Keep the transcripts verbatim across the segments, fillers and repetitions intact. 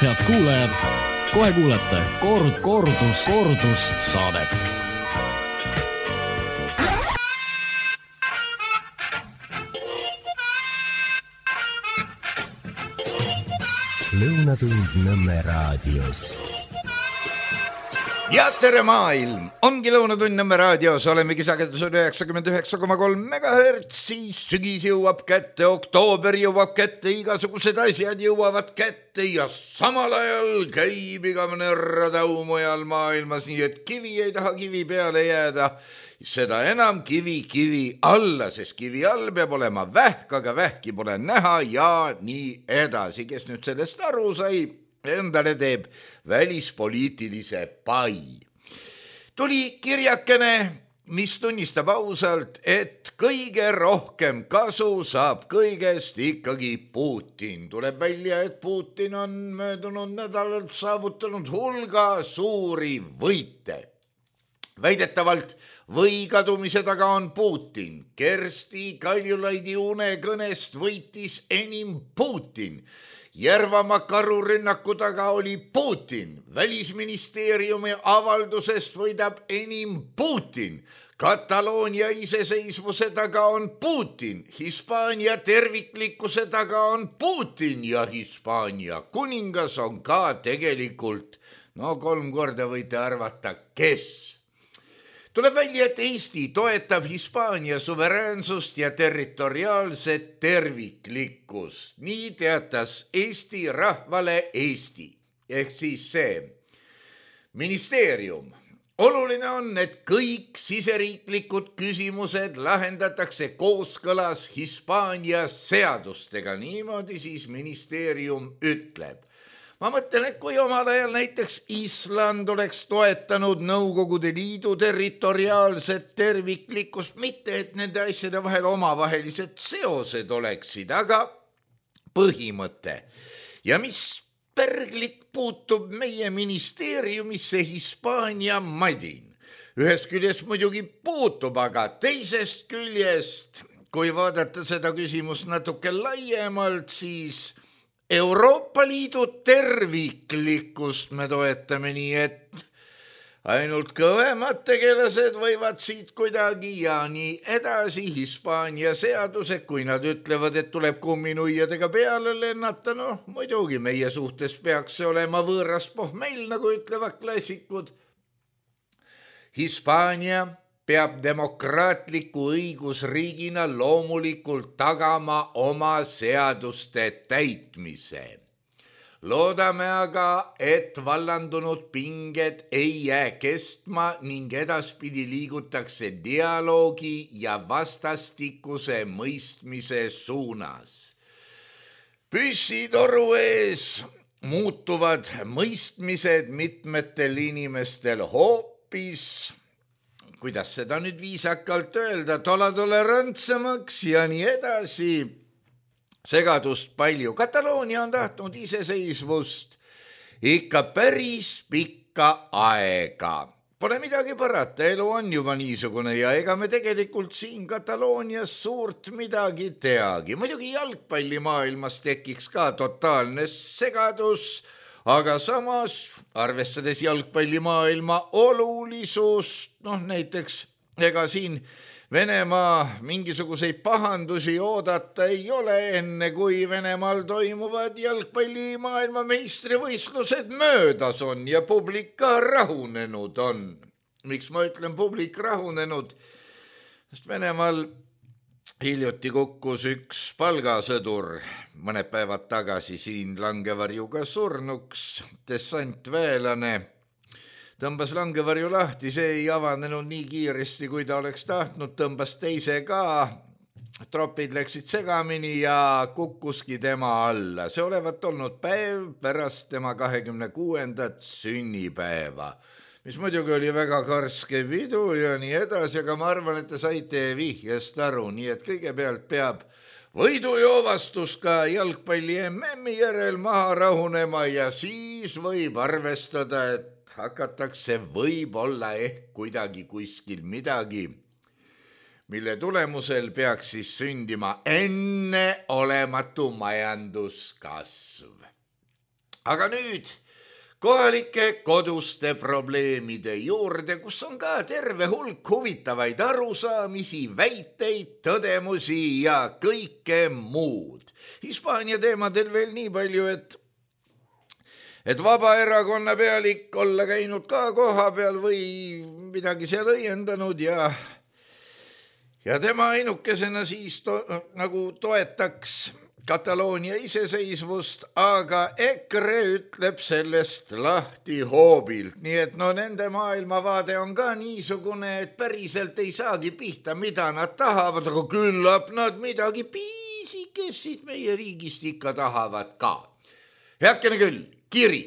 Head kuulajad, kohe kuulete kord, kordus, kordus saadet. Lõunatund Nõmme raadios. Ja tere maailm, ongi Lõunatund Nõmme raadios, oleme kisakendusel üheksakümmend üheksa koma kolm megahertsi, sügis jõuab kätte, oktoober jõuab kätte, igasugused asjad jõuavad kätte ja samal ajal käib igavene radau mujal maailmas, nii et kivi ei taha kivi peale jääda, seda enam kivi kivi alla, sest kivi all peab olema vähk, aga vähki pole näha ja nii edasi, kes nüüd sellest aru sai, endale teeb välispoliitilise pai. Tuli kirjakene, mis tunnistab ausalt, et kõige rohkem kasu saab kõigest ikkagi Putin. Tuleb välja, et Putin on möödunud nädalalt saavutanud hulga suuri võite. Väidetavalt või kadumise taga on Putin. Kersti Kaljulaidi unekõnest võitis enim Putin. Järvamaa karurünnaku taga oli Putin. Välisministeeriumi avaldusest võidab enim Putin. Kataloonia iseseisvuse taga on Putin. Hispaania terviklikkuse taga on Putin ja Hispaania kuningas on ka tegelikult, no kolm korda võite arvata, kes. Tuleb välja, et Eesti toetab Hispaania suveräänsust ja territoriaalset terviklikkust. Nii teatas Eesti rahvale Eesti. Ehk siis see ministeerium. Oluline on, et kõik siseriiklikud küsimused lahendatakse kooskõlas Hispaania seadustega. Niimoodi siis ministeerium ütleb. Ma mõtlen, et kui omal ajal näiteks Island oleks toetanud Nõukogude Liidu territoriaalset terviklikkust, mitte et nende asjade vahel omavahelised seosed oleksid, aga põhimõte. Ja mis perglit puutub meie ministeeriumisse Hispaania madin. Ühest küljest muidugi puutub, aga teisest küljest, kui vaadata seda küsimust natuke laiemalt, siis Euroopa Liidu terviklikkust me toetame nii, et ainult kõvemad tegelased võivad siit kuidagi ja nii edasi. Hispaania seadused, kui nad ütlevad, et tuleb kumminuiadega peale lennata, no muidugi meie suhtes peaks see olema võõras pohmell, nagu ütlevad klassikud. Hispaania peab demokraatliku õigusriigina loomulikult tagama oma seaduste täitmise. Loodame aga, et vallandunud pinged ei jää kestma ning edaspidi liigutakse dialoogi ja vastastikuse mõistmise suunas. Püssitoru ees muutuvad mõistmised mitmetel inimestel hoopis, kuidas seda nüüd viisakalt öelda, tollatolerantsemaks ja nii edasi. Segadust palju. Kataloonia on tahtnud iseseisvust ikka päris pikka aega. Pole midagi parata, elu on juba niisugune ja ega me tegelikult siin Kataloonias suurt midagi teagi. Muidugi jalgpallimaailmas tekiks ka totaalne segadus, aga samas, arvestades jalgpallimaailma olulisust, noh näiteks, ega siin Venemaa mingisuguseid pahandusi oodata ei ole enne, kui Venemaal toimuvad jalgpallimaailma meistrivõistlused möödas on ja publik ka rahunenud on. Miks ma ütlen publik rahunenud? Sest Venemaal hiljuti kukkus üks palgasõdur mõned päevad tagasi siin Langevarjuga surnuks, dessantväelane. Tõmbas Langevarju lahti, see ei avanenud nii kiiresti, kui ta oleks tahtnud, tõmbas teise ka, tropid läksid segamini ja kukkuski tema alla. See olevat olnud päev pärast tema kahekümne kuuendat sünnipäeva, mis muidugi oli väga karske pidu ja nii edasi, aga ma arvan, et te saite vihjest aru, nii et kõigepealt peab võidujoovastus ka jalgpalli M M-i järel maha rahunema ja siis võib arvestada, et hakatakse võib-olla ehk kuidagi kuskil midagi, mille tulemusel peaks siis sündima enne olematu majanduskasv. aga nüüd kohalike koduste probleemide juurde, kus on ka terve hulk huvitavaid arusaamisi, väiteid, tõdemusi ja kõike muud. Hispaania teemadel veel nii palju, et et Vabaerakonna pealik olla käinud ka koha peal või midagi seal õiendanud ja ja tema ainukesena siis to, nagu toetaks Kataloonia iseseisvust, aga EKRE ütleb sellest lahti hoobilt. Nii et no nende maailmavaade on ka niisugune, et päriselt ei saagi pihta, mida nad tahavad, aga küllap nad midagi piisikesid meie riigist ikka tahavad ka. Heakene küll, kiri.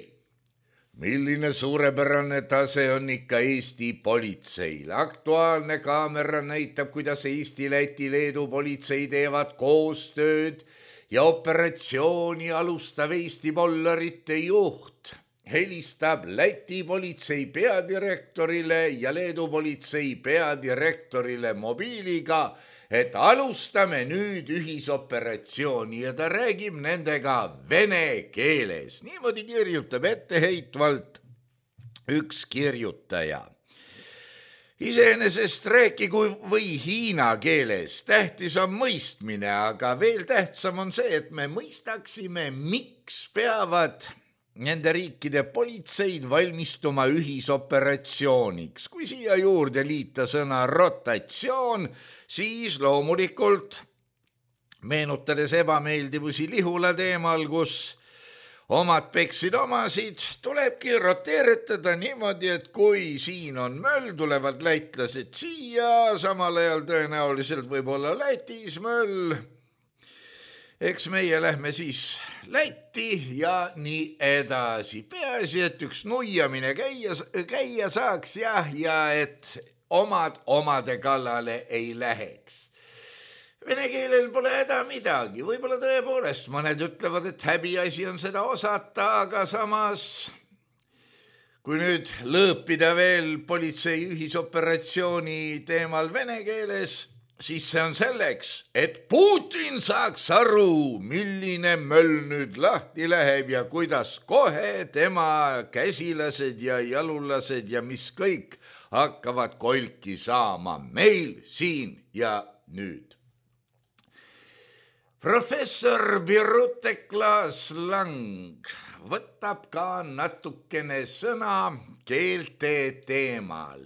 Milline suurepärane tase on ikka Eesti politseil. Aktuaalne kaamera näitab, kuidas Eesti, Läti, Leedu politsei teevad koostööd ja operatsiooni alustav Eesti pollarite juht helistab Läti politsei peadirektorile ja Leedu politsei peadirektorile mobiiliga, et alustame nüüd ühisoperatsiooni ja ta räägib nendega vene keeles. Niimoodi kirjutab etteheitvalt üks kirjutaja. Iseenesest rääkigu või hiina keeles, tähtis on mõistmine, aga veel tähtsam on see, et me mõistaksime, miks peavad nende riikide politseid valmistuma ühisoperatsiooniks. Kui siia juurde liita sõna rotatsioon, siis loomulikult meenutades ebameeldivusi Lihula teemal, kus omad peksid omasid, tulebki roteeretada niimoodi, et kui siin on möll, tulevad lätlased siia, samal ajal tõenäoliselt võib olla Lätis möll. Eks meie lähme siis Lätti ja nii edasi. Peaasi, et üks nuiamine käia, käia saaks jah, ja et omad omade kallale ei läheks. Vene keelel pole häda midagi, võib-olla tõepoolest mõned ütlevad, et häbiasi on seda osata, aga samas, kui nüüd lõõpida veel politsei ühisoperatsiooni teemal vene keeles, siis see on selleks, et Putin saaks aru, milline möll nüüd lahti läheb ja kuidas kohe tema käsilased ja jalulased ja mis kõik hakkavad kolki saama meil siin ja nüüd. Professor Birute Klaas-Lang võtab ka natukene sõna keelte teemal.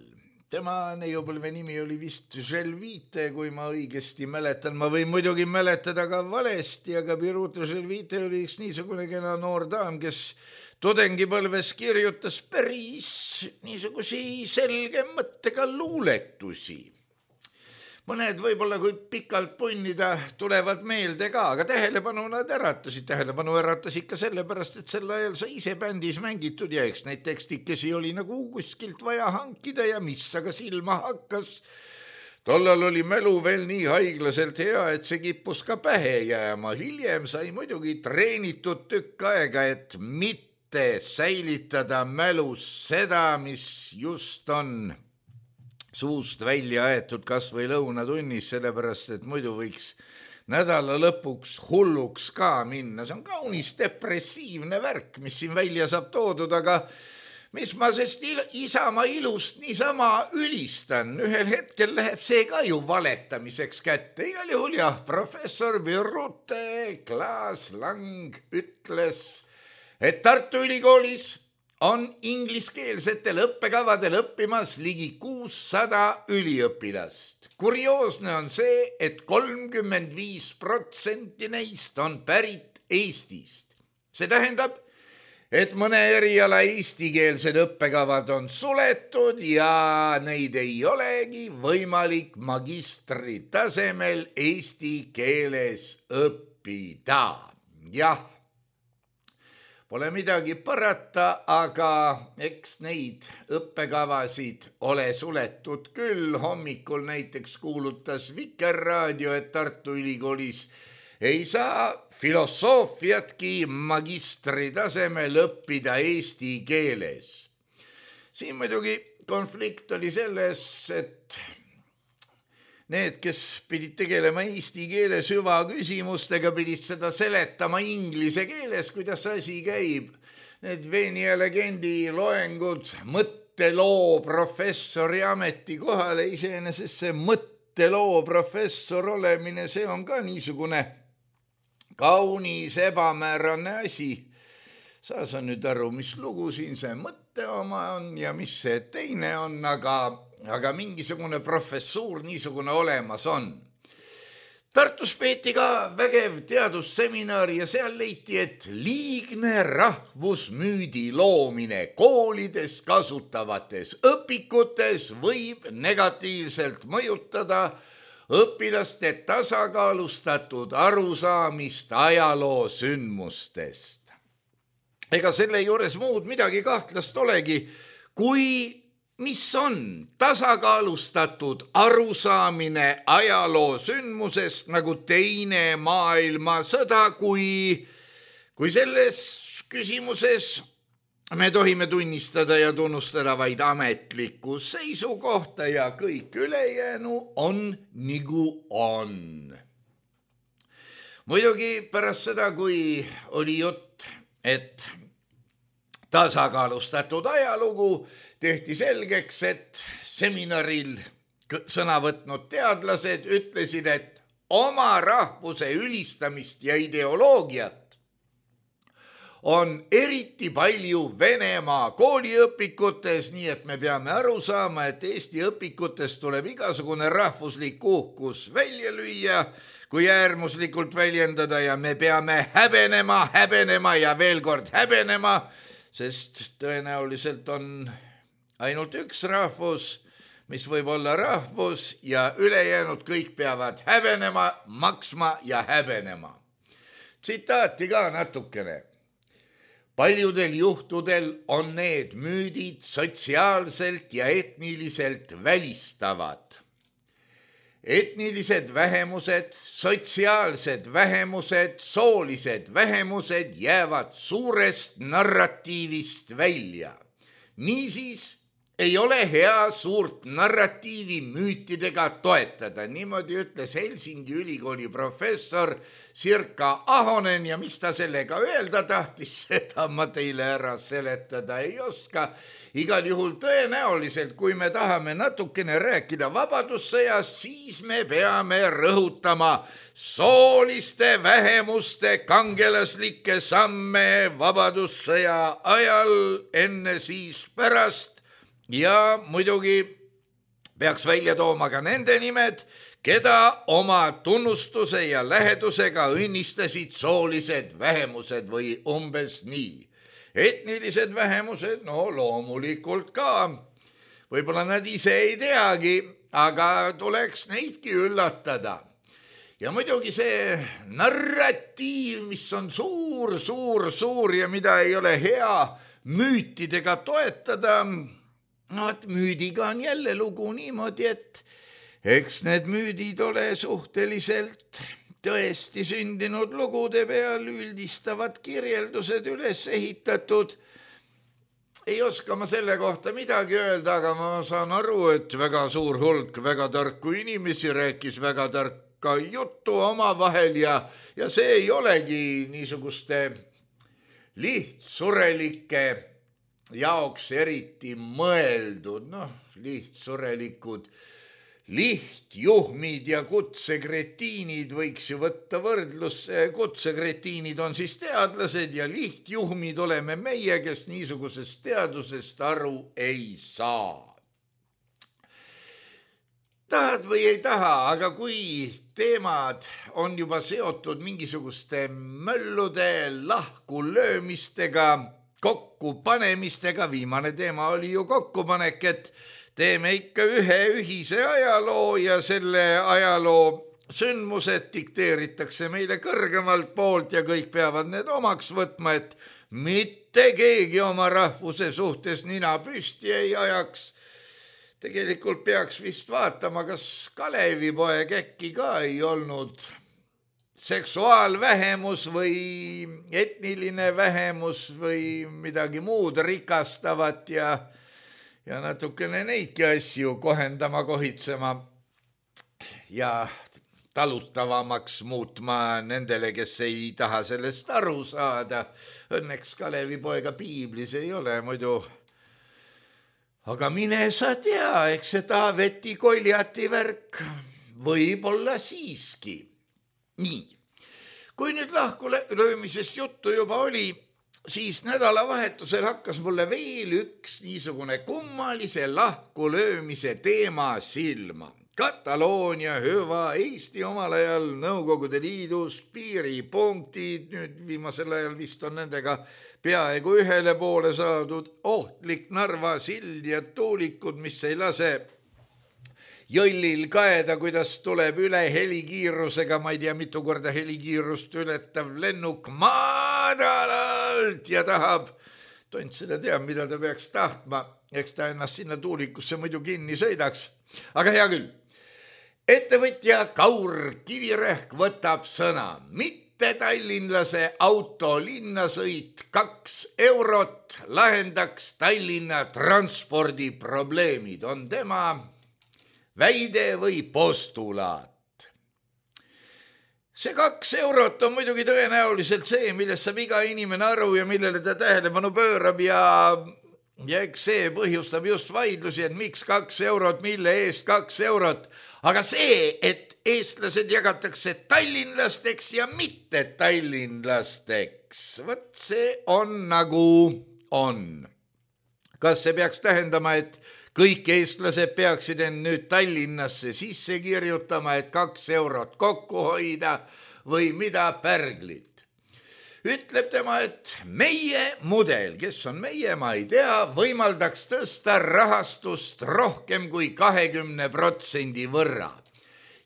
Tema neiupõlve nimi oli vist Želvite, kui ma õigesti mäletan. Ma võin muidugi mäletada ka valesti, aga Birute Želvite oli üks niisugune kena noor daam, kes tudengipõlves kirjutas päris niisugusi selge mõttega luuletusi. Mõned võib-olla kui pikalt punnida tulevad meelde ka, aga tähelepanu nad äratasid. Tähelepanu äratas ikka sellepärast, et sel ajal sai ise bändis mängitud ja eks neid tekstikesi oli nagu kuskilt vaja hankida ja mis aga silma hakkas. Tollal oli mälu veel nii haiglaselt hea, et see kippus ka pähe jääma. Hiljem sai muidugi treenitud tükk aega, et mitte säilitada mälus seda, mis just on suust välja aetud kas või lõunatunnis, sellepärast, et muidu võiks nädala lõpuks hulluks ka minna. See on kaunis depressiivne värk, mis siin välja saab toodud, aga mis ma sest il- Isamaa ilust niisama ülistan. Ühel hetkel läheb see ka ju valetamiseks kätte. Igal juhul jah, professor Birute Klaas-Lang ütles, et Tartu Ülikoolis on ingliskeelsetel õppekavadel õppimas ligi kuussada üliõpilast. Kurioosne on see, et kolmkümmend viis protsenti neist on pärit Eestist. See tähendab, et mõne eriala eestikeelsed õppekavad on suletud ja neid ei olegi võimalik magistri tasemel eesti keeles õppida. Jah. Pole midagi parata, aga eks neid õppekavasid ole suletud küll. Hommikul näiteks kuulutas Vikerraadio, et Tartu Ülikoolis ei saa filosoofiatki magistri tasemel õppida eesti keeles. Siin muidugi konflikt oli selles, et need, kes pidid tegelema eesti keele süvaküsimustega, pidid seda seletama inglise keeles, kuidas asi käib. need Veeni ja legendi loengud mõtteloo professori ametikohale, iseenesest see mõtteloo professor olemine, see on ka niisugune kaunis ebamäärane asi. Sa sa nüüd aru, mis lugu siin see mõtte oma on ja mis see teine on, aga, aga mingisugune professuur niisugune olemas on. Tartus peeti ka vägev teadusseminar ja seal leiti, et liigne rahvusmüüdi loomine koolides kasutavates õpikutes võib negatiivselt mõjutada õpilaste tasakaalustatud arusaamist ajaloo sündmustest. Ega selle juures muud midagi kahtlast olegi, kui mis on tasakaalustatud arusaamine ajaloo sündmusest nagu teine maailmasõda, kui, kui selles küsimuses me tohime tunnistada ja tunnustada vaid ametlikku seisukohta ja kõik ülejäänu on nagu on. Muidugi pärast seda, kui oli jutt, et tasakaalustatud ajalugu, tehti selgeks, et seminaril sõna võtnud teadlased ütlesid, et oma rahvuse ülistamist ja ideoloogiat on eriti palju Venemaa kooliõpikutes, nii et me peame aru saama, et Eesti õpikutes tuleb igasugune rahvuslik uhkus välja lüüa, kui äärmuslikult väljendada ja me peame häbenema, häbenema ja veel kord häbenema, sest tõenäoliselt on ainult üks rahvus, mis võib olla rahvus ja ülejäänud kõik peavad häbenema, maksma ja häbenema. Tsitaati ka natukene. Paljudel juhtudel on need müüdid sotsiaalselt ja etniliselt välistavad. Etnilised vähemused, sotsiaalsed vähemused, soolised vähemused jäävad suurest narratiivist välja. Niisiis ei ole hea suurt narratiivi müütidega toetada. Niimoodi ütles Helsingi ülikooli professor Sirka Ahonen ja mis ta sellega öelda tahtis, seda ma teile ära seletada ei oska. Igal juhul tõenäoliselt, kui me tahame natukene rääkida vabadussõjast, siis me peame rõhutama sooliste vähemuste kangelaslikke samme vabadussõja ajal, enne siis pärast. Ja muidugi peaks välja tooma ka nende nimed, keda oma tunnustuse ja lähedusega õnnistasid soolised vähemused või umbes nii. Etnilised vähemused, no loomulikult ka. Võib-olla nad ise ei teagi, aga tuleks neidki üllatada. Ja muidugi see narratiiv, mis on suur, suur, suur ja mida ei ole hea müütidega toetada, no et müüdiga on jälle lugu niimoodi, et eks need müüdid ole suhteliselt tõesti sündinud lugude peal, üldistavad kirjeldused üles ehitatud. Ei oska ma selle kohta midagi öelda, aga ma saan aru, et väga suur hulk väga tarku inimesi rääkis väga tarka juttu oma vahel ja, ja see ei olegi niisuguste lihtsurelike jaoks eriti mõeldud, noh, lihtsurelikud lihtjuhmid ja kutsekretiinid võiks ju võtta võrdlusse. Kutsekretiinid on siis teadlased ja lihtjuhmid oleme meie, kes niisugusest teadusest aru ei saa. Tahad või ei taha, aga kui teemad on juba seotud mingisuguste möllude lahkulöömistega, kokkupanemistega, viimane teema oli ju kokkupanek, et teeme ikka ühe ühise ajaloo ja selle ajaloo sündmused dikteeritakse meile kõrgemalt poolt ja kõik peavad need omaks võtma, et mitte keegi oma rahvuse suhtes nina püsti ei ajaks. Tegelikult peaks vist vaatama, kas Kalevipoeg äkki ka ei olnud seksuaalvähemus või etniline vähemus või midagi muud rikastavat ja ja natukene neidki asju kohendama, kohitsema ja talutavamaks muutma nendele, kes ei taha sellest aru saada. Õnneks Kalevipoega piiblis ei ole muidu. Aga mine sa tea, eks see Taaveti Koljati värk võib-olla siiski. Nii, kui nüüd lahku löömisest juttu juba oli, siis nädalavahetusel hakkas mulle veel üks niisugune kummalise lahku löömise teema silma. Kataloonia, hüva, Eesti omal ajal Nõukogude Liidus, piiripunktid, nüüd viimasel ajal vist on nendega peaaegu ühele poole saadud, ohtlik Narva sild ja tuulikud, mis ei lase jõllil kaeda, kuidas tuleb üle helikiirusega, ma ei tea, mitu korda helikiirust ületav lennuk madalalt ja tahab, tont seda teab, mida ta peaks tahtma, eks ta ennast sinna tuulikusse muidu kinni sõidaks, aga hea küll. Ettevõtja Kaur Kivirehk võtab sõna, mitte tallinlase auto linnasõit kaks eurot lahendaks Tallinna transpordiprobleemid, on tema väide või postulaat. See kaks eurot on muidugi tõenäoliselt see, millest saab iga inimene aru ja millele ta tähelepanu pöörab ja, ja eks see põhjustab just vaidlusi, et miks kaks eurot, mille eest kaks eurot. Aga see, et eestlased jagatakse tallinlasteks ja mitte tallinlasteks, võt see on nagu on. Kas see peaks tähendama, et kõik eestlased peaksid end nüüd Tallinnasse sisse kirjutama, et kaks eurot kokku hoida või mida pärglit? Ütleb tema, et meie mudel, kes on meie, ma ei tea, võimaldaks tõsta rahastust rohkem kui kahekümne protsendi võrra.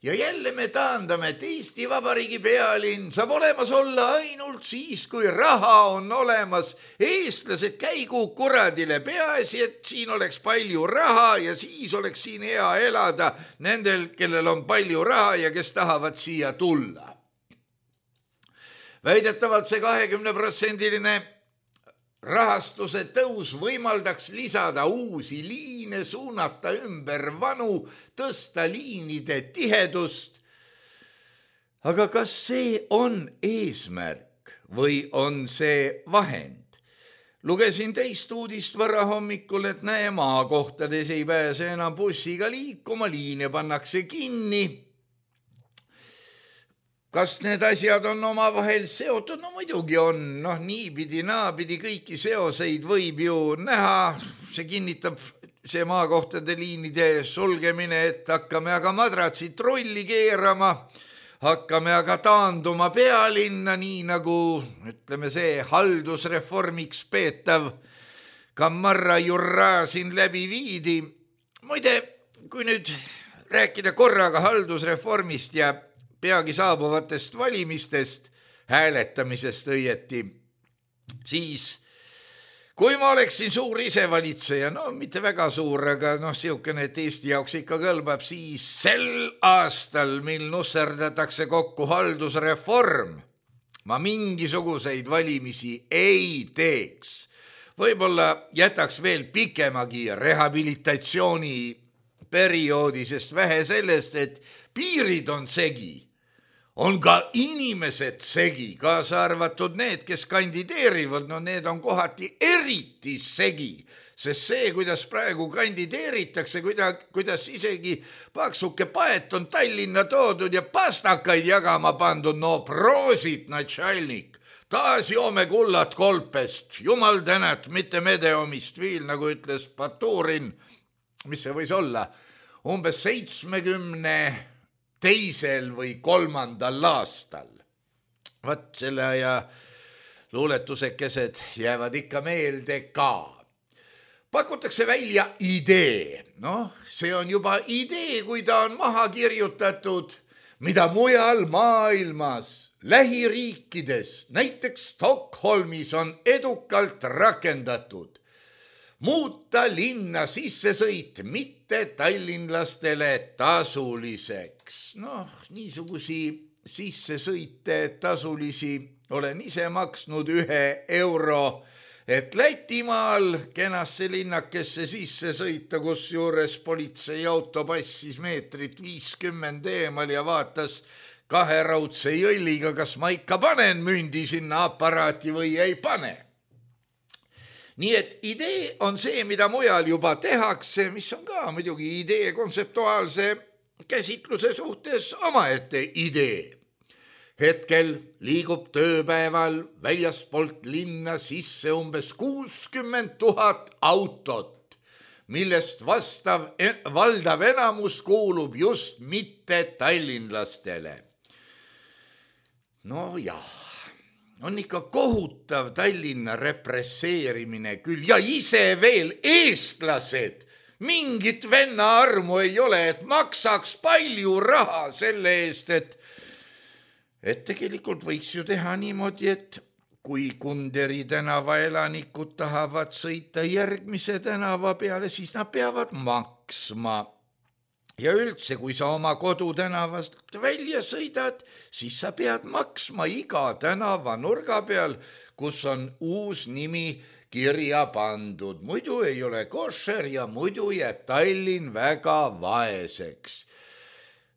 Ja jälle me taandame, et Eesti Vabariigi pealinn saab olemas olla ainult siis, kui raha on olemas. Eestlased käigu kuradile, peaasi, et siin oleks palju raha ja siis oleks siin hea elada nendel, kellel on palju raha ja kes tahavad siia tulla. Väidetavalt see kahekümne protsendiline rahastuse tõus võimaldaks lisada uusi liine, suunata ümber vanu, tõsta liinide tihedust. Aga kas see on eesmärk või on see vahend? Lugesin teist uudist varahommikul, et näe, maakohtades ei pääse enam bussiga liikuma, liine pannakse kinni. Kas need asjad on omavahel seotud? No muidugi on, noh niipidi, naapidi kõiki seoseid võib ju näha. See kinnitab see maakohtade liinide sulgemine, et hakkame aga madratsid trolli keerama, hakkame aga taanduma pealinna, nii nagu, ütleme see, haldusreformiks peetav Kamarra Jurra siin läbi viidi. Muide, kui nüüd rääkida korraga haldusreformist ja peagi saabuvatest valimistest, hääletamisest õieti, siis kui ma oleksin suur isevalitseja, no mitte väga suur, aga noh, siukene, et Eesti jaoks ikka kõlbab, siis sel aastal, mil nusserdatakse kokku haldusreform, ma mingisuguseid valimisi ei teeks. Võib-olla jätaks veel pikemagi rehabilitatsiooni perioodi, sest vähe sellest, et piirid on segi. On ka inimesed segi, kaasa arvatud need, kes kandideerivad, no need on kohati eriti segi, sest see, kuidas praegu kandideeritakse, kuidas, kuidas isegi paksuke paet on Tallinna toodud ja pastakaid jagama pandud, no proosit, natšalnik, taas joome kullat kolpest, jumal tänat, mitte medeomist viil, nagu ütles Baturin, mis see võis olla, umbes seitsmekümne teisel või kolmandal aastal. Vat selle aja luuletusekesed jäävad ikka meelde ka. Pakutakse välja idee. Noh, see on juba idee, kui ta on maha kirjutatud, mida mujal maailmas, lähiriikides, näiteks Stockholmis on edukalt rakendatud. Muuta linna sissesõit mitte tallinlastele tasuliseks. Noh, niisugusi sissesõite tasulisi olen ise maksnud ühe euro, et Lätimaal kenasse linnakesse sisse sõita, kus juures politseiauto passis meetrit viiskümmend eemal ja vaatas kahe raudse jõlliga, kas ma ikka panen mündi sinna aparaati või ei pane. Nii et idee on see, mida mujal juba tehakse, mis on ka muidugi idee kontseptuaalse käsitluse suhtes omaette idee. Hetkel liigub tööpäeval väljaspoolt linna sisse umbes kuuskümmend tuhat autot, millest vastav valdav enamus kuulub just mitte tallinlastele. No jah, on ikka kohutav Tallinna represseerimine küll ja ise veel eestlased. Mingit venna armu ei ole, et maksaks palju raha selle eest, et et tegelikult võiks ju teha niimoodi, et kui Kunderi tänava elanikud tahavad sõita järgmise tänava peale, siis nad peavad maksma. Ja üldse, kui sa oma kodutänavast välja sõidad, siis sa pead maksma iga tänava nurga peal, kus on uus nimi kirja pandud. Muidu ei ole košer ja muidu jääb Tallinn väga vaeseks.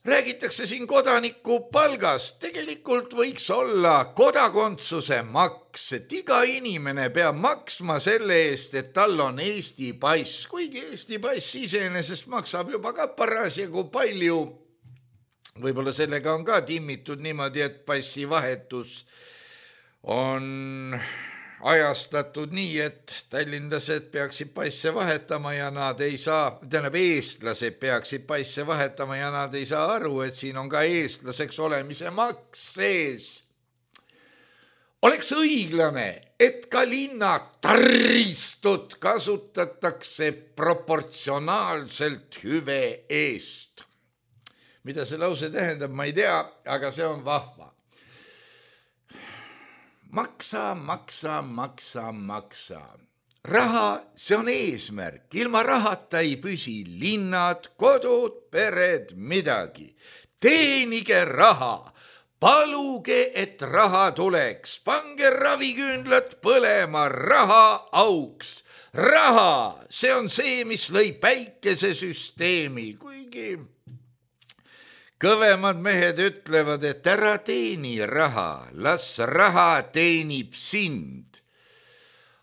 Räägitakse siin kodaniku palgast, tegelikult võiks olla kodakondsuse maks, et iga inimene peab maksma selle eest, et tal on Eesti pass, kuigi Eesti pass iseenesest maksab juba ka parasjagu palju. Võib-olla sellega on ka timmitud niimoodi, et passi vahetus on ajastatud nii, et tallinlased peaksid passe vahetama ja nad ei saa, tähendab eestlased peaksid passe vahetama ja nad ei saa aru, et siin on ka eestlaseks olemise maks sees. Oleks õiglane, et ka linna taristut kasutatakse proportsionaalselt hüve eest. Mida see lause tähendab, ma ei tea, aga see on vahva. Maksa, maksa, maksa, maksa. Raha, see on eesmärk. Ilma rahata ei püsi linnad, kodud, pered, midagi. Teenige raha. Paluge, et raha tuleks. Pange raviküünlad põlema, raha auks. Raha, see on see, mis lõi päikesesüsteemi, kuigi kõvemad mehed ütlevad, et ära teeni raha, las raha teenib sind.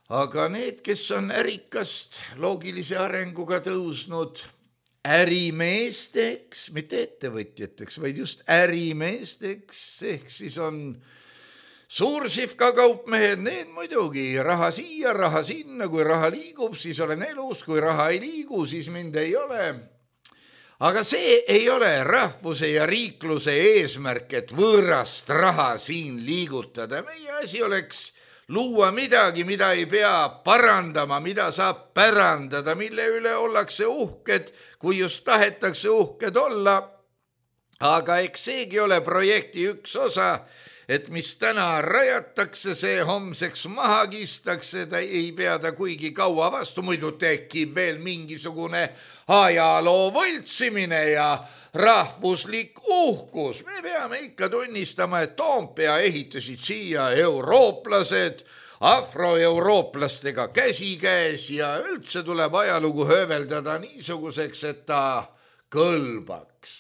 Aga need, kes on ärikast loogilise arenguga tõusnud ärimeesteks, mitte ettevõtjateks, vaid just ärimeesteks, ehk siis on suursifka kaupmehed, need muidugi raha siia, raha sinna, kui raha liigub, siis olen elus, kui raha ei liigu, siis mind ei ole. Aga see ei ole rahvuse ja riikluse eesmärk, et võõrast raha siin liigutada. Meie asi oleks luua midagi, mida ei pea parandama, mida saab pärandada, mille üle ollakse uhked, kui just tahetakse uhked olla. Aga eks seegi ole projekti üks osa, et mis täna rajatakse, see homseks maha kistakse, ta ei pea ta kuigi kaua vastu, muidu tekib veel mingisugune ajaloo võltsimine ja rahvuslik uhkus. Me peame ikka tunnistama, et Toompea ehitasid siia eurooplased, afroeurooplastega käsikäes ja üldse tuleb ajalugu hööveldada niisuguseks, et ta kõlbaks.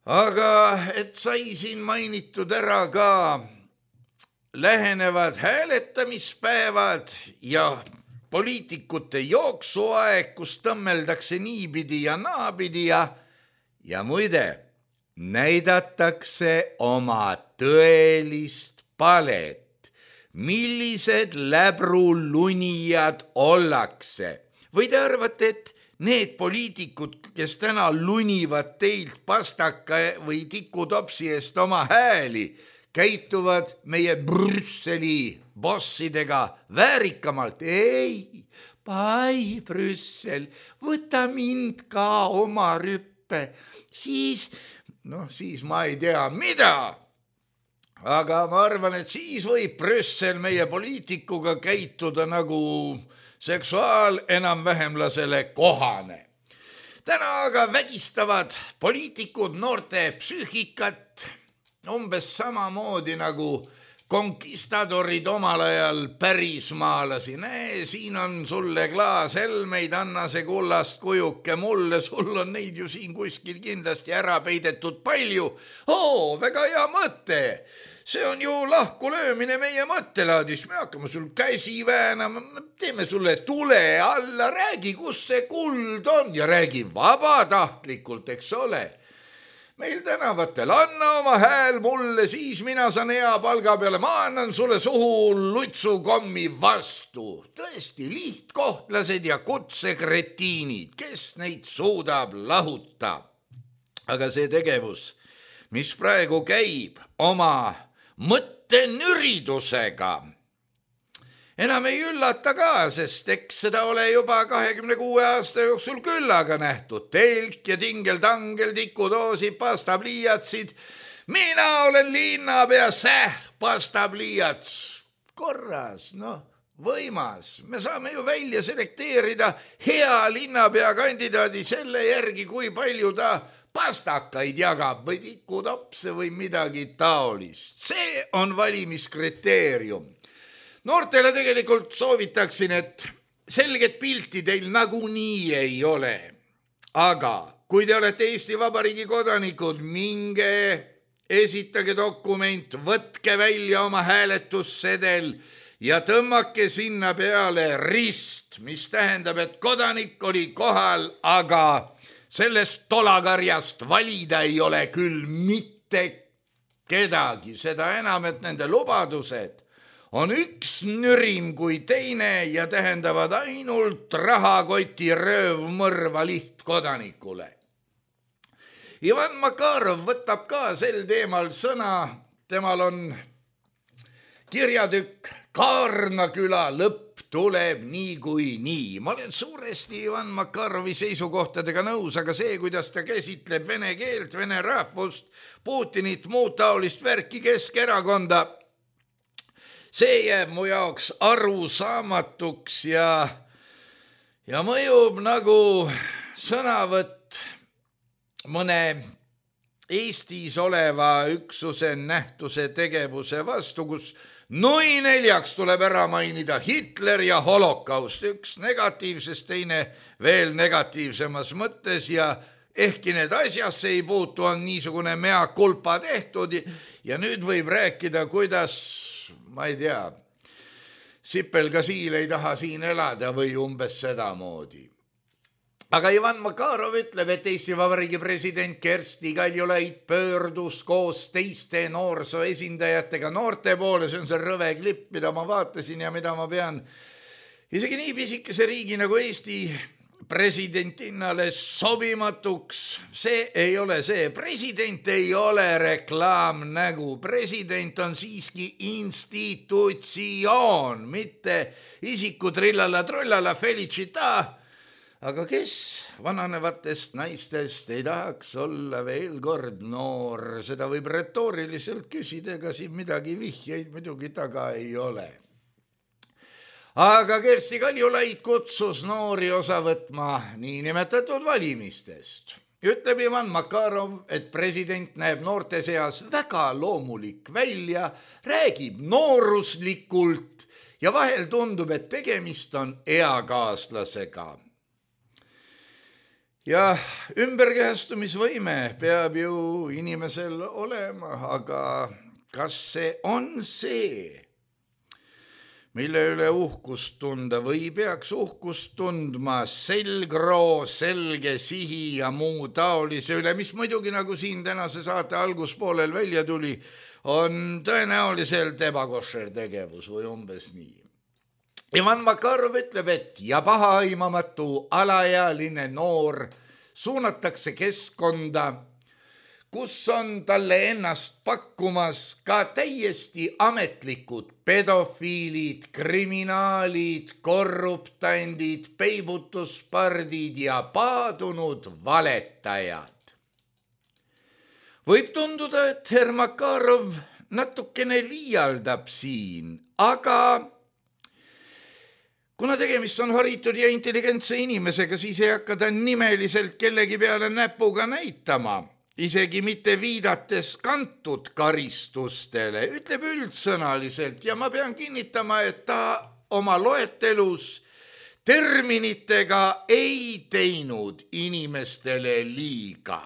Aga et sai siin mainitud ära ka lähenevad hääletamispäevad ja poliitikute jooksuaeg, kus tõmmeldakse niipidi ja naapidi ja, ja muide, näidatakse oma tõelist palet, millised läbrulunijad ollakse. Või te arvate, et need poliitikud, kes täna lunivad teilt pastaka või tikutopsi eest oma hääli, käituvad meie Brüsseli bossidega väärikamalt. Ei, pai Brüssel, võta mind ka oma rüppe, siis, noh, siis ma ei tea mida. Aga ma arvan, et siis võib Brüssel meie poliitikuga käituda nagu seksuaal enam-vähemlasele kohane. Täna aga vägistavad poliitikud noorte psüühikat umbes samamoodi nagu konkistadorid omal ajal pärismaalasi. Näe, siin on sulle klaas helmeid, anna see kullast kujuke mulle, sul on neid ju siin kuskil kindlasti ära peidetud palju. Oo, väga hea mõte. See on ju lahku löömine meie mõttelaadis. Me hakkame sul käsi väänama, teeme sulle tule alla, räägi, kus see kuld on ja räägi vabatahtlikult, eks ole. Meil tänavatel anna oma hääl mulle, siis mina saan hea palga peale, ma annan sulle suhu lutsukommi vastu. Tõesti, lihtkohtlased ja kutsekretiinid, kes neid suudab lahuta. Aga see tegevus, mis praegu käib oma mõttenüridusega, enam ei üllata ka, sest eks seda ole juba kahekümne kuue aasta jooksul küllaga nähtud. Telk ja tingel-tangel, tikudoosid, pastapliiatsid. Mina olen linnapea, säh, pastapliiats. Korras, noh, võimas. Me saame ju välja selekteerida hea linnapea kandidaadi selle järgi, kui palju ta pastakaid jagab või tikutopse või midagi taolist. See on valimiskriteerium. Noortele tegelikult soovitaksin, et selget pilti teil nagunii ei ole. Aga kui te olete Eesti Vabariigi kodanikud, minge, esitage dokument, võtke välja oma hääletussedel ja tõmmake sinna peale rist, mis tähendab, et kodanik oli kohal, aga sellest tolakarjast valida ei ole küll mitte kedagi. Seda enam, et nende lubadused on üks nürim kui teine ja tähendavad ainult rahakoti röövmõrva lihtkodanikule. Ivan Makarov võtab ka sel teemal sõna. Temal on kirjatükk Kaarnaküla lõpp tuleb nii kui nii. Ma olen suuresti Ivan Makarovi seisukohtadega nõus, aga see, kuidas ta käsitleb vene keelt, vene rahvust, Putinit, muud taolist värki, Keskerakonda, see jääb mu jaoks arusaamatuks ja, ja mõjub nagu sõnavõtt mõne Eestis oleva üksuse nähtuse tegevuse vastu, kus nui neljaks tuleb ära mainida Hitler ja holokaust, üks negatiivses, teine veel negatiivsemas mõttes ja ehkki need asjasse ei puutu, on niisugune mea culpa tehtud ja nüüd võib rääkida, kuidas, ma ei tea, Sipelgasiil ei taha siin elada või umbes sedamoodi. Aga Ivan Makarov ütleb, et Eesti Vabariigi president Kersti Kaljulaid pöördus koos teiste noorsoo esindajatega noorte poole. See on see rõve klipp, mida ma vaatasin ja mida ma pean isegi nii pisikese riigi nagu Eesti presidentinale sobimatuks. See ei ole see. President ei ole reklaamnägu. President on siiski institutsioon, mitte isiku trillala trullala felicita. Aga kes vananevatest naistest ei tahaks olla veel kord noor? Seda võib retooriliselt küsida, ega siin midagi vihjeid muidugi taga ei ole. Aga Kersti Kaljulaid kutsus noori osa võtma niinimetatud valimistest. Ütleb Ivan Makarov, et president näeb noorte seas väga loomulik välja, räägib nooruslikult ja vahel tundub, et tegemist on eakaaslasega. Ja ümberkehastumisvõime peab ju inimesel olema, aga kas see on see, mille üle uhkust tunda või peaks uhkust tundma selgroo, selge sihi ja muu taolise üle, mis muidugi nagu siin tänase saate alguspoolel välja tuli, on tõenäoliselt ebakošer tegevus või umbes nii. Ivan Makarov ütleb, et ja pahaaimamatu alaealine noor suunatakse keskkonda, kus on talle ennast pakkumas ka täiesti ametlikud pedofiilid, kriminaalid, korruptandid, peibutuspardid ja paadunud valetajad. Võib tunduda, et herr Makarov natukene liialdab siin, aga kuna tegemist on haritud ja intelligentse inimesega, siis ei hakka ta nimeliselt kellegi peale näpuga näitama. isegi mitte viidates kantud karistustele, ütleb üldsõnaliselt ja ma pean kinnitama, et ta oma loetelus terminitega ei teinud inimestele liiga.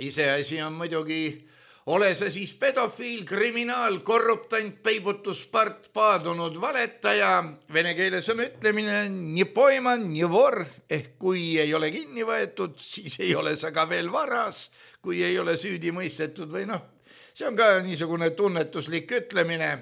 Iseasi on muidugi, ole see siis pedofiil, kriminaal, korruptant, peibutuspart, paadunud valetaja, vene keeles on ütlemine nii poiman, nii vor, ehk kui ei ole kinni võetud, siis ei ole sa ka veel varas, kui ei ole süüdi mõistetud või noh, see on ka niisugune tunnetuslik ütlemine.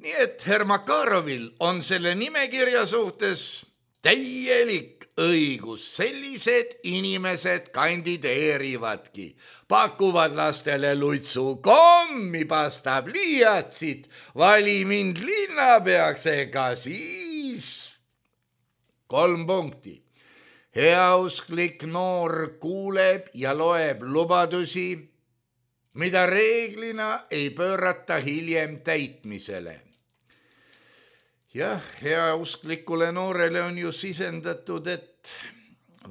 Nii et Herr Makarovil on selle nimekirja suhtes täielik õigus, sellised inimesed kandideerivadki, pakuvad lastele lutsu kommi, pastab liiatsit, vali mind linnapeaks, ega siis kolm punkti. Heausklik noor kuuleb ja loeb lubadusi, mida reeglina ei pöörata hiljem täitmisele. Jah, heausklikule noorele on ju sisendatud, et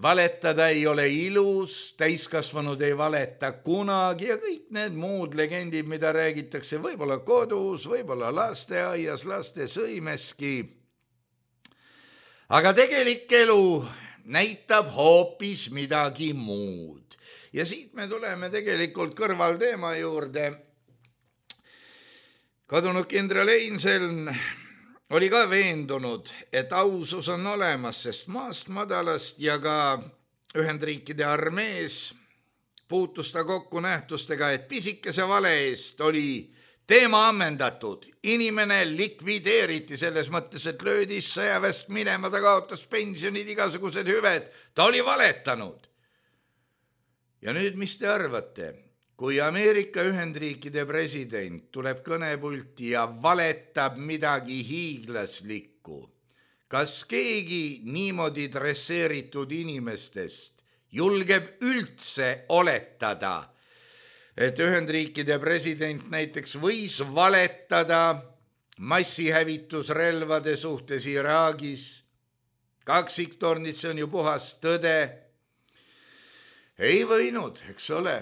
valetada ei ole ilus, täiskasvanud ei valeta kunagi ja kõik need muud legendid, mida räägitakse võib-olla kodus, võib-olla lasteaias, laste sõimeski. Aga tegelik elu näitab hoopis midagi muud. Ja siit me tuleme tegelikult kõrvalteema juurde. Kadunud kindral Einseln oli ka veendunud, et ausus on olemas, sest maast madalast ja ka Ühendriikide armees puutus ta kokku nähtustega, et pisikese vale eest oli teema ammendatud. Inimene likvideeriti selles mõttes, et löödis sõjaväest minema, ta kaotas pensionid, igasugused hüved, ta oli valetanud. Ja nüüd, mis te arvate? Kui Ameerika Ühendriikide president tuleb kõnepulti ja valetab midagi hiiglaslikku, kas keegi niimoodi dresseeritud inimestest julgeb üldse oletada, et Ühendriikide president näiteks võis valetada massihävitusrelvade suhtes Iraagis? Kaksiktornid, see on ju puhas tõde. Ei võinud, eks ole.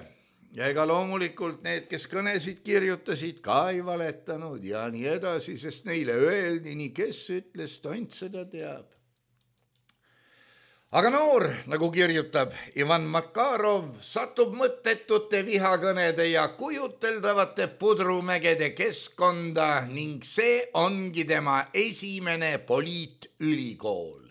Ja ega loomulikult need, kes kõnesid kirjutasid, ka ei valetanud ja nii edasi, sest neile öeldi, nii kes ütles, tont seda teab. Aga noor, nagu kirjutab Ivan Makarov, satub mõttetute vihakõnede ja kujuteldavate pudrumägede keskkonda ning see ongi tema esimene poliitülikool.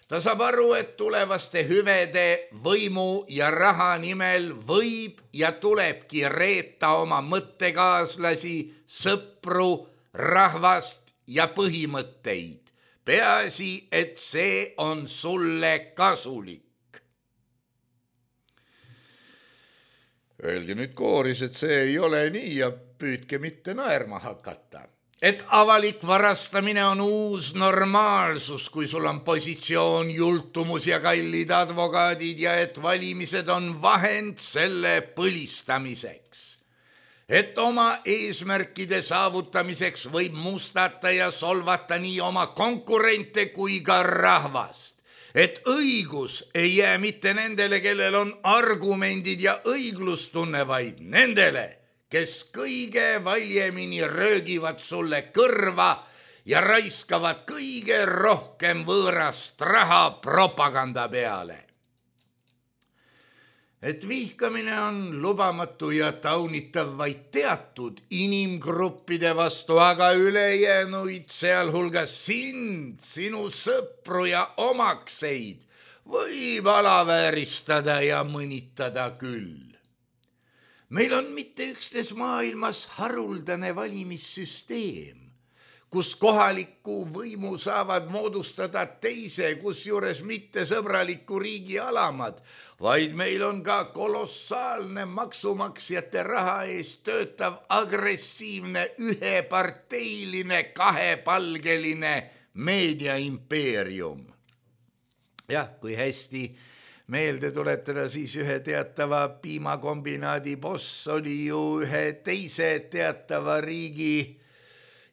Ta saab aru, et tulevaste hüvede, võimu ja raha nimel võib ja tulebki reeta oma mõttekaaslasi, sõpru, rahvast ja põhimõtteid. Peaasi, et see on sulle kasulik. Öelge nüüd kooris, et see ei ole nii ja püüdke mitte naerma hakata. Et avalik varastamine on uus normaalsus, kui sul on positsioon, jultumus ja kallid advokaadid ja et valimised on vahend selle põlistamiseks. Et oma eesmärkide saavutamiseks võib mustata ja solvata nii oma konkurente kui ka rahvast. Et õigus ei jää mitte nendele, kellel on argumendid ja õiglustunne, vaid nendele, kes kõige valjemini röögivad sulle kõrva ja raiskavad kõige rohkem võõrast raha propaganda peale. Et vihkamine on lubamatu ja taunitav vaid teatud inimgruppide vastu, aga ülejäänuid, sealhulgas sind, sinu sõpru ja omakseid, võib alavääristada ja mõnitada küll. Meil on mitte üksnes maailmas haruldane valimissüsteem, kus kohaliku võimu saavad moodustada teise, kusjuures mitte sõbraliku riigi alamad, vaid meil on ka kolossaalne maksumaksjate raha eest töötav agressiivne üheparteiline kahepalgeline meediaimpeerium. Jah, kui hästi meelde tuletada, siis ühe teatava piimakombinaadi boss oli ju ühe teise teatava riigi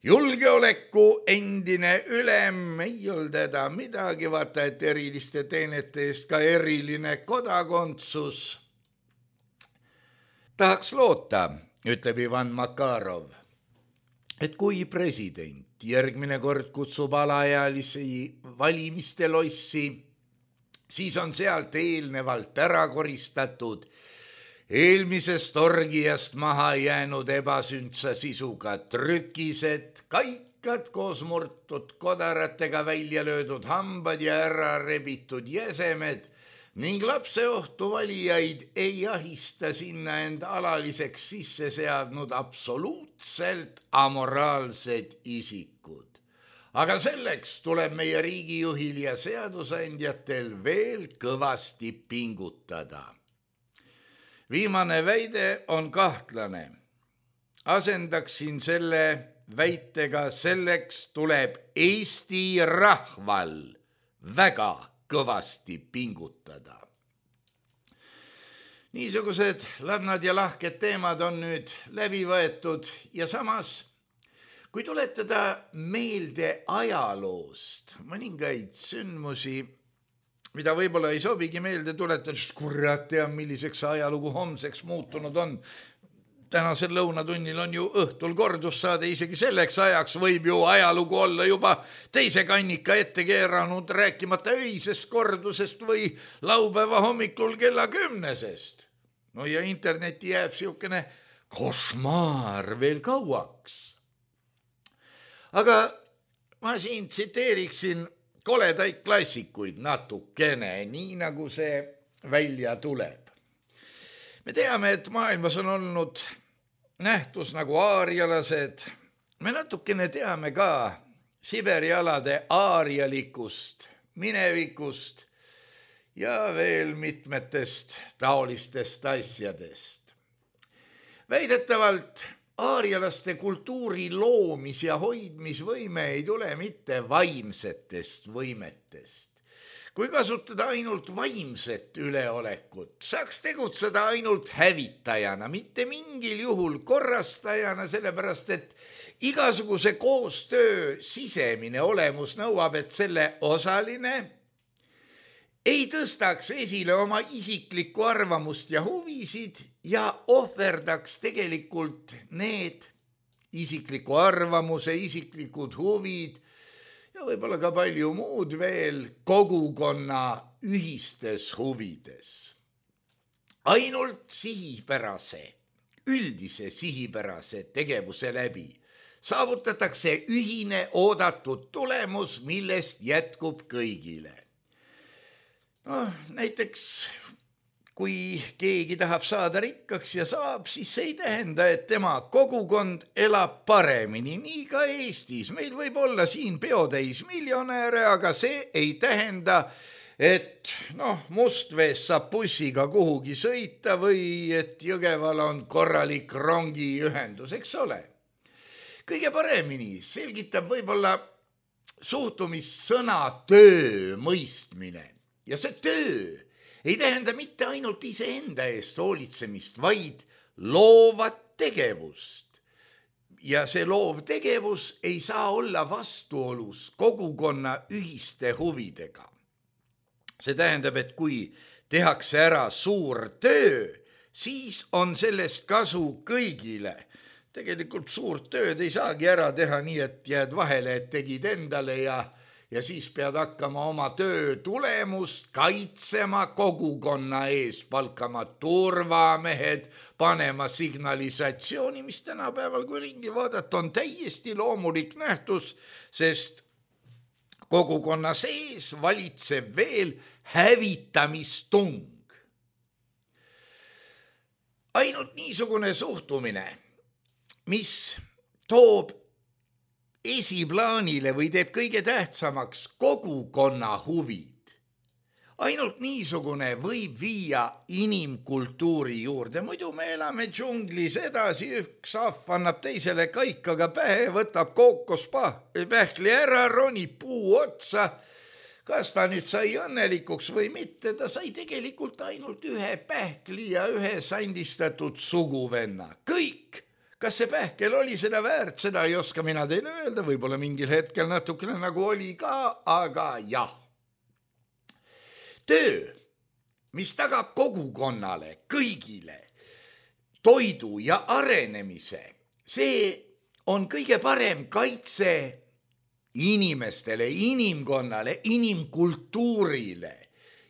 julgeoleku endine ülem, ei olnud teda midagi, vaata, et eriliste teenete eest ka eriline kodakondsus. tahaks loota, ütleb Ivan Makarov, et kui president järgmine kord kutsub alaealisi valimiste lossi, siis on sealt eelnevalt ära koristatud eelmisest orgiast maha jäänud ebasündsa sisuga trükised, kaikad koos murtud kodaratega välja löödud hambad ja ära rebitud jäsemed ning lapseohtu valijaid ei ahista sinna end alaliseks sisse seadnud absoluutselt amoraalsed isikud. Aga selleks tuleb meie riigijuhil ja seadusandjatel veel kõvasti pingutada. Viimane väide on kahtlane. Asendaksin selle väitega, selleks tuleb Eesti rahval väga kõvasti pingutada. Niisugused ladnad ja lahked teemad on nüüd läbi võetud ja samas, kui tuletada meelde ajaloost mõningaid sündmusi, mida võib-olla ei sobigi meelde tuletada, sest kurat teab, milliseks ajalugu homseks muutunud on. Tänasel lõunatunnil on ju õhtul kordussaade, isegi selleks ajaks võib ju ajalugu olla juba teise kannika ette keeranud, rääkimata öisest kordusest või laupäeva hommikul kella kümnesest. No ja interneti jääb siukene košmaar veel kauaks. Aga ma siin tsiteeriksin koledaid klassikuid natukene, nii nagu see välja tuleb. Me teame, et maailmas on olnud nähtus nagu aarialased. Me natukene teame ka Siberi alade aarialikust minevikust ja veel mitmetest taolistest asjadest. Väidetavalt aarialaste kultuuri loomis- ja hoidmisvõime ei tule mitte vaimsetest võimetest. Kui kasutada ainult vaimset üleolekut, saaks tegutseda ainult hävitajana, mitte mingil juhul korrastajana, sellepärast et igasuguse koostöö sisemine olemus nõuab, et selle osaline ei tõstaks esile oma isiklikku arvamust ja huvisid ja ohverdaks tegelikult need isikliku arvamuse, isiklikud huvid ja võib-olla ka palju muud veel kogukonna ühistes huvides. Ainult sihipärase, üldise sihipärase tegevuse läbi saavutatakse ühine oodatud tulemus, millest jätkub kõigile. No, näiteks, kui keegi tahab saada rikkaks ja saab, siis see ei tähenda, et tema kogukond elab paremini, nii ka Eestis. Meil võib olla siin peotäis miljonääre, aga see ei tähenda, et noh, Mustvees saab bussiga kuhugi sõita või et Jõgeval on korralik rongiühendus, eks ole. Kõige paremini selgitab võib-olla suhtumissõna töö mõistmine. Ja see töö ei tähenda mitte ainult iseenda eest hoolitsemist, vaid loovat tegevust. Ja see loov tegevus ei saa olla vastuolus kogukonna ühiste huvidega. See tähendab, et kui tehakse ära suur töö, siis on sellest kasu kõigile. Tegelikult suurt tööd ei saagi ära teha nii, et jääd vahele, et tegid endale ja Ja siis pead hakkama oma töö tulemust kaitsema kogukonna ees, palkama turvamehed, panema signalisatsiooni, mis tänapäeval, kui ringi vaadata, on täiesti loomulik nähtus, sest kogukonna sees valitseb veel hävitamistung. Ainult niisugune suhtumine, mis toob esiplaanile või teeb kõige tähtsamaks kogukonna huvid. Ainult niisugune võib viia inimkultuuri juurde. Muidu me elame džunglis edasi, üks ahv annab teisele kaikaga pähe, võtab kookospähkli ära, ronib puu otsa. Kas ta nüüd sai õnnelikuks või mitte, ta sai tegelikult ainult ühe pähkli ja ühe sandistatud suguvenna. Kõik! Kas see pähkel oli seda väärt, seda ei oska mina teile öelda, võib-olla mingil hetkel natukene nagu oli ka, aga jah. Töö, mis tagab kogukonnale, kõigile toidu ja arenemise. See on kõige parem kaitse inimestele, inimkonnale, inimkultuurile.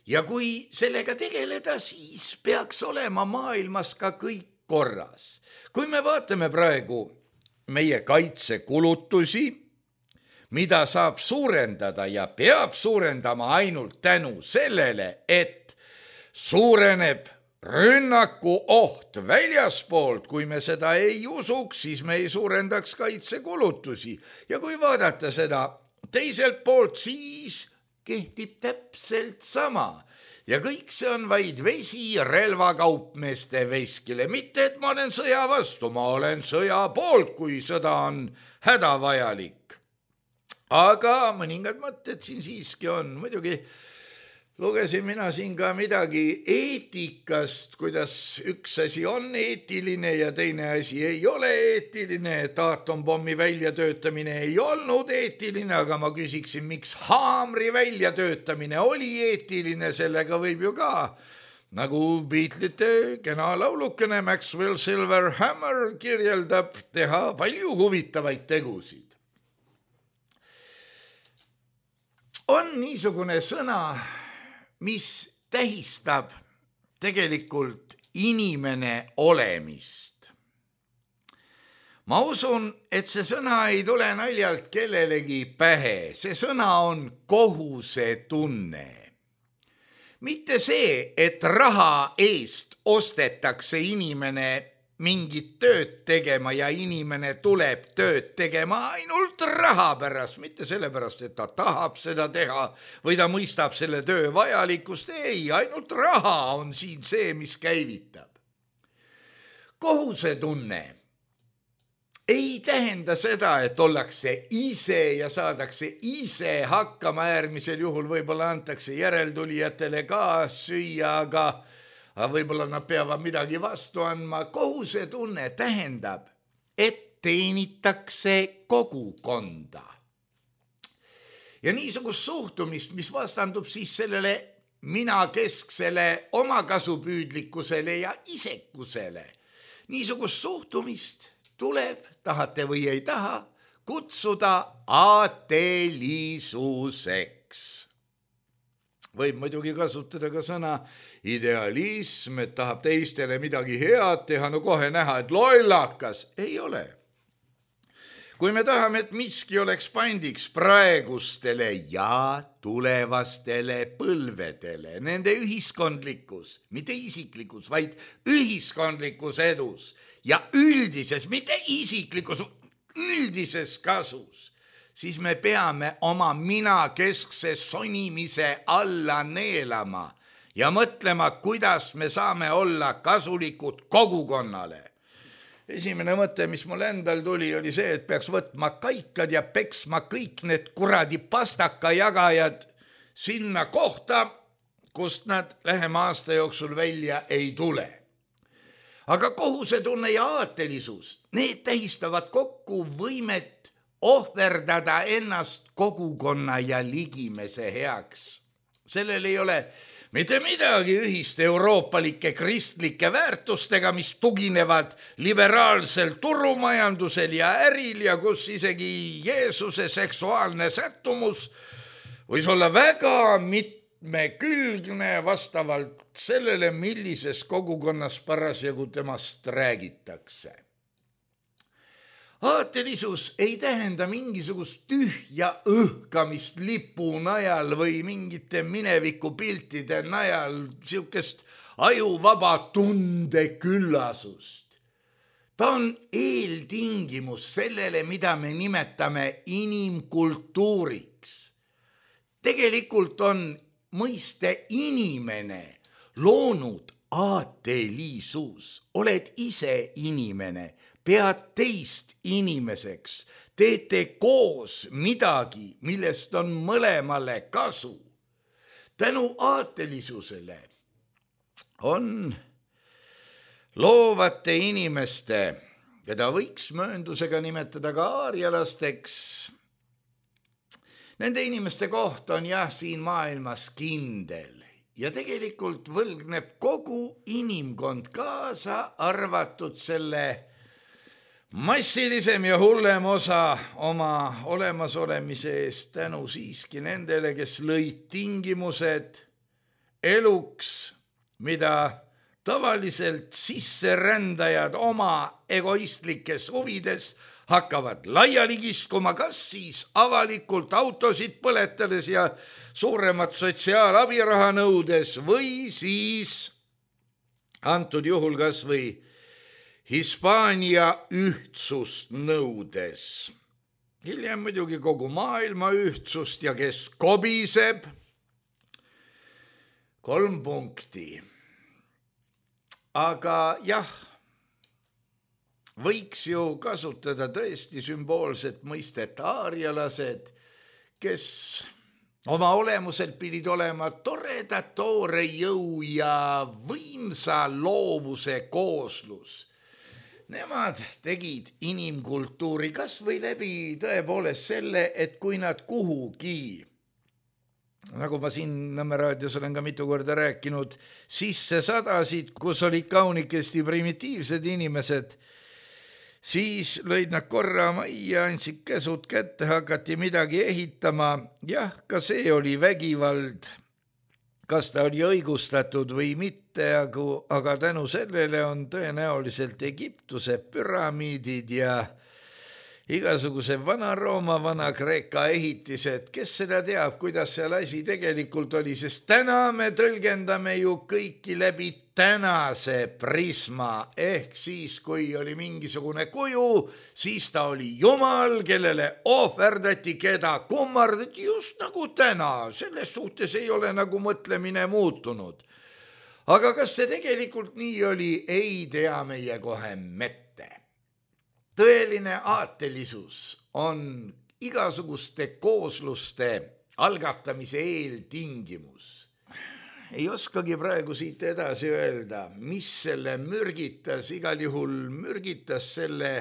Ja kui sellega tegeleda, siis peaks olema maailmas ka kõik korras. Kui me vaatame praegu meie kaitsekulutusi, mida saab suurendada ja peab suurendama ainult tänu sellele, et suureneb rünnaku oht väljaspoolt, kui me seda ei usuks, siis me ei suurendaks kaitsekulutusi. Ja kui vaadata seda teiselt poolt, siis kehtib täpselt sama. Ja kõik see on vaid vesi relvakaupmeeste veskile. Mitte, et ma olen sõja vastu, ma olen sõja poolt, kui sõda on hädavajalik. Aga mõningad mõtted siin siiski on. Muidugi lugesin mina siin ka midagi eetikast, kuidas üks asi on eetiline ja teine asi ei ole eetiline, et aatompommi väljatöötamine ei olnud eetiline, aga ma küsiksin, miks haamri väljatöötamine oli eetiline, sellega võib ju ka, nagu Beatlesite kena laulukene Maxwell Silver Hammer kirjeldab, teha palju huvitavaid tegusid. On niisugune sõna, mis tähistab tegelikult inimene olemist. Ma usun, et see sõna ei tule naljalt kellelegi pähe. See sõna on kohusetunne. Mitte see, et raha eest ostetakse inimene mingit tööd tegema ja inimene tuleb tööd tegema ainult raha pärast, mitte sellepärast, et ta tahab seda teha või ta mõistab selle töö vajalikkust. Ei, ainult raha on siin see, mis käivitab. Kohusetunne ei tähenda seda, et ollakse ise ja saadakse ise hakkama, äärmisel juhul võib-olla antakse järeltulijatele ka süüa, aga aga võib-olla nad peavad midagi vastu andma. Kohusetunne tähendab, et teenitakse kogukonda. Ja niisugust suhtumist, mis vastandub siis sellele minakesksele omakasupüüdlikkusele ja isekusele. Niisugust suhtumist tuleb, tahate või ei taha, kutsuda aatelisuseks. Võib muidugi kasutada ka sõna idealism, et tahab teistele midagi head teha, no kohe näha, et lollakas. Ei ole. Kui me tahame, et miski oleks pandiks praegustele ja tulevastele põlvedele, nende ühiskondlikus, mitte isiklikus, vaid ühiskondlikus edus ja üldises, mitte isiklikus, üldises kasus, siis me peame oma minakeskse sonimise alla neelama ja mõtlema, kuidas me saame olla kasulikud kogukonnale. Esimene mõte, mis mul endal tuli, oli see, et peaks võtma kaikad ja peksma kõik need kuradi pastaka jagajad sinna kohta, kust nad lähema aasta jooksul välja ei tule. Aga kohusetunne ja aatelisus, need tähistavad kokku võimet ohverdada ennast kogukonna ja ligimese heaks. Sellel ei ole mitte midagi ühist euroopalike kristlike väärtustega, mis tuginevad liberaalsel turumajandusel ja äril ja kus isegi Jeesuse seksuaalne sättumus võis olla väga mitmekülgne vastavalt sellele, millises kogukonnas parasjagu temast räägitakse. Aatelisus ei tähenda mingisugust tühja õhkamist lipu najal või mingite minevikupiltide najal, siukest ajuvaba tundeküllasust. Ta on eeltingimus sellele, mida me nimetame inimkultuuriks. Tegelikult on mõiste inimene loonud aatelisus. Oled ise inimene. Pead teist inimeseks, teete koos midagi, millest on mõlemale kasu. Tänu aatelisusele on loovate inimeste, keda võiks mööndusega nimetada ka aarialasteks, nende inimeste koht on jah siin maailmas kindel ja tegelikult võlgneb kogu inimkond kaasa arvatud selle massilisem ja hullem osa oma olemasolemise eest tänu siiski nendele, kes lõid tingimused eluks, mida tavaliselt sisserändajad oma egoistlikes huvides hakkavad laiali kiskuma, kas siis avalikult autosid põletades ja suuremat sotsiaalabiraha nõudes või siis antud juhul kas või Hispaania ühtsust nõudes. Hiljem muidugi kogu maailma ühtsust ja kes kobiseb. Kolm punkti. Aga jah, võiks ju kasutada tõesti sümboolset mõistet aarialased, kes oma olemuselt pidid olema toreda toore jõu ja võimsa loovuse kooslus. Nemad tegid inimkultuuri kas või läbi tõepoolest selle, et kui nad kuhugi, nagu ma siin Nõmme raadios olen ka mitu korda rääkinud, sisse sadasid, kus olid kaunikesti primitiivsed inimesed, siis lõid nad korra majja, andsid käsud kätte, hakati midagi ehitama. Jah, ka see oli vägivald, kas ta oli õigustatud või mitte, aga tänu sellele on tõenäoliselt Egiptuse püramiidid ja igasuguse Vana-Rooma, Vana-Kreeka ehitised, kes seda teab, kuidas seal asi tegelikult oli, sest täna me tõlgendame ju kõiki läbi tänase prisma, ehk siis, kui oli mingisugune kuju, siis ta oli Jumal, kellele ohverdati, keda kummardati just nagu täna, selles suhtes ei ole nagu mõtlemine muutunud. Aga kas see tegelikult nii oli, ei tea meie kohe mette. Tõeline aatelisus on igasuguste koosluste algatamise eeltingimus. Ei oskagi praegu siit edasi öelda, mis selle mürgitas, igal juhul mürgitas selle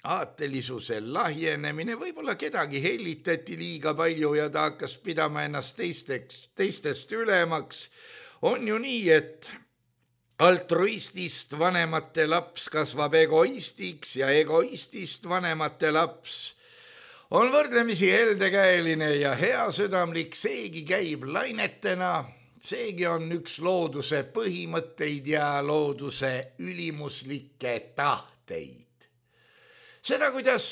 aatelisuse lahjenemine, võib-olla kedagi hellitati liiga palju ja ta hakkas pidama ennast teisteks, teistest ülemaks. On ju nii, et altruistist vanemate laps kasvab egoistiks ja egoistist vanemate laps on võrdlemisi heldekäeline ja heasüdamlik, seegi käib lainetena, seegi on üks looduse põhimõtteid ja looduse ülimuslikke tahteid. Seda, kuidas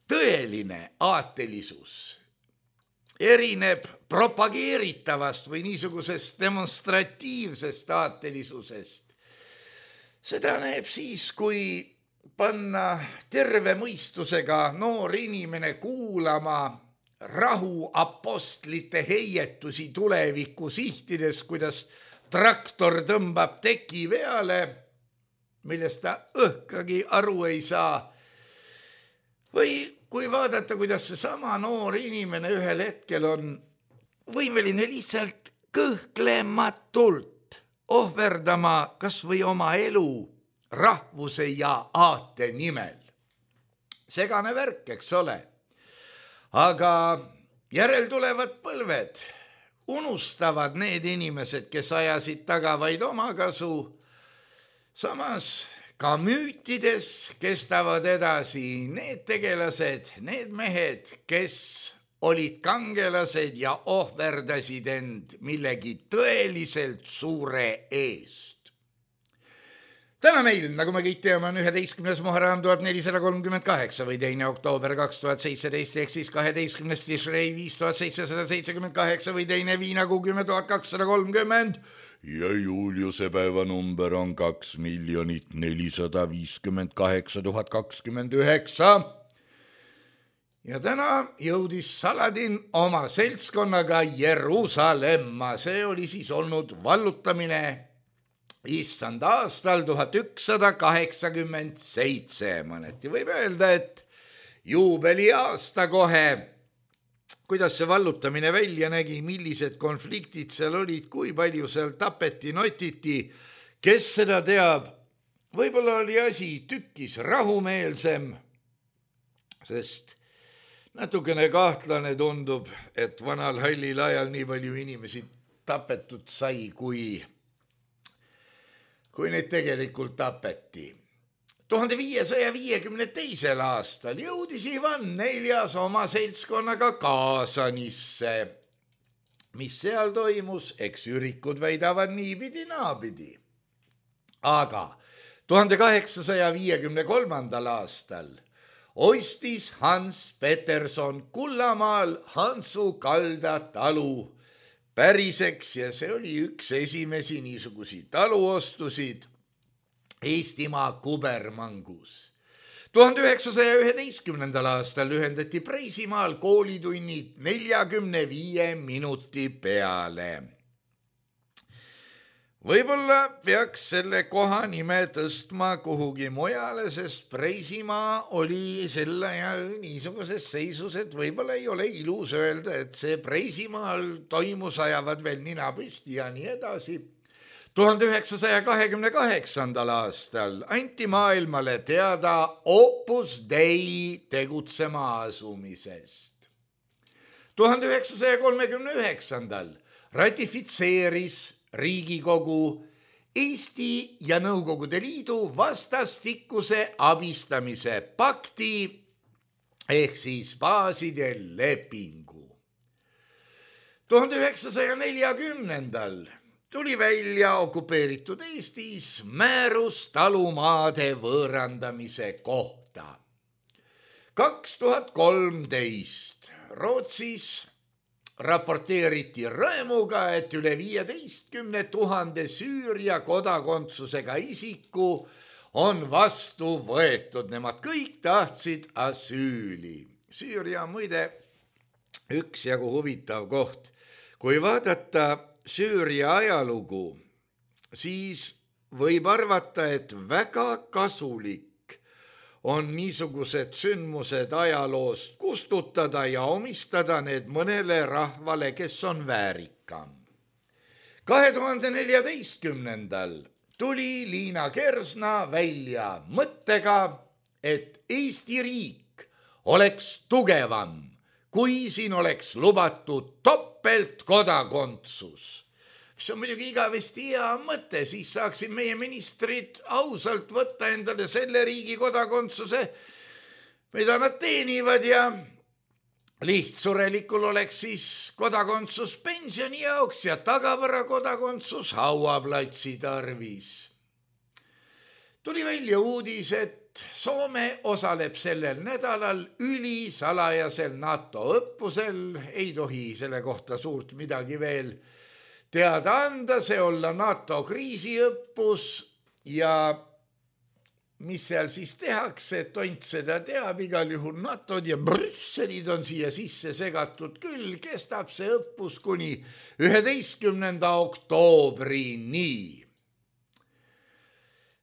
tõeline aatelisus erineb propageeritavast või niisugusest demonstratiivsest aatelisusest. Seda näeb siis, kui panna terve mõistusega noor inimene kuulama rahuapostlite heietusi tuleviku sihtides, kuidas traktor tõmbab teki veale, millest ta õhkagi aru ei saa. Või kui vaadata, kuidas see sama noor inimene ühel hetkel on võimeline lihtsalt kõhklematult ohverdama kas või oma elu rahvuse ja aate nimel. Segane värk, eks ole. Aga järeltulevad põlved unustavad need inimesed, kes ajasid taga vaid omakasu. Samas ka müütides kestavad edasi need tegelased, need mehed, kes olid kangelased ja ohverdasid end millegi tõeliselt suure eest. Täna meil, nagu me kõik teame, on üheteistkümnes Muharram tuhat nelisada kolmkümmend kaheksa või teine oktoober kaks tuhat seitseteist, ehk siis kaheteistkümnes Tishrei viis tuhat seitsesada seitsekümmend kaheksa või teine Viinakuu kümme tuhat kakssada kolmkümmend ja Juliuse päevanumber on kaks miljonit nelisada viiskümmend kaheksa tuhat kakskümmend üheksa. Ja täna jõudis Saladin oma seltskonnaga Jeruusalemma. See oli siis olnud vallutamine issand aastal tuhat ükssada kaheksakümmend seitse. Mõneti võib öelda, et juubeli aasta kohe. Kuidas see vallutamine välja nägi, millised konfliktid seal olid, kui palju seal tapeti, notiti, kes seda teab. Võib-olla oli asi tükkis rahumeelsem, sest natukene kahtlane tundub, et vanal hallil ajal nii palju inimesi tapetud sai, kui, kui neid tegelikult tapeti. tuhande viiesaja viiekümne teisel aastal jõudis Ivan neljas oma seltskonnaga Kaasanisse. Mis seal toimus, eks ürikud väidavad niipidi naapidi. Aga tuhande kaheksasaja viiekümne kolmandal aastal ostis Hans Peterson Kullamaal Hansu kalda talu päriseks ja see oli üks esimesi niisugusi taluostusid Eestimaa Kubermangus. tuhande üheksasaja üheteistkümnendal aastal ühendati Preisimaal koolitunnid neljakümne viie minuti peale. Võib-olla peaks selle koha nime tõstma kuhugi mujale, sest Preisimaa oli sel ajal niisuguses seisus, et võib-olla ei ole ilus öelda, et see Preisimaal toimus, ajavad veel nina püsti ja nii edasi. tuhande üheksasaja kahekümne kaheksandal aastal anti maailmale teada Opus Dei tegutsema asumisest. tuhande üheksasaja kolmekümne üheksandal ratifitseeris Riigikogu Eesti ja Nõukogude Liidu vastastikuse abistamise pakti ehk siis baaside lepingu. tuhande üheksasaja neljakümnendal tuli välja okupeeritud Eestis määrus talumaade võõrandamise kohta. kaks tuhat kolmteist Rootsis raporteeriti rõõmuga, et üle viieteistkümne tuhande Süüria kodakondsusega isiku on vastu võetud. Nemad kõik tahtsid asüüli. Süüria on muide üksjagu huvitav koht. Kui vaadata Süüria ajalugu, siis võib arvata, et väga kasulik on niisugused sündmused ajaloost kustutada ja omistada need mõnele rahvale, kes on väärikam. kahe tuhande neljateistkümnendal tuli Liina Kersna välja mõttega, et Eesti riik oleks tugevam, kui siin oleks lubatud topeltkodakondsus. See on muidugi igavesti hea mõte, siis saaksid meie ministrid ausalt võtta endale selle riigi kodakondsuse, mida nad teenivad ja lihtsurelikul oleks siis kodakondsus pensioni jaoks ja tagavara kodakondsus hauaplatsi tarvis. Tuli välja uudis, et Soome osaleb sellel nädalal ülisalajasel NATO õppusel, ei tohi selle kohta suurt midagi veel teada anda, see olla NATO kriisiõppus ja mis seal siis tehakse, tont seda teab, igal juhul NATO-d ja Brüsselid on siia sisse segatud küll, kestab see õppus kuni üheteistkümnenda oktoobrini.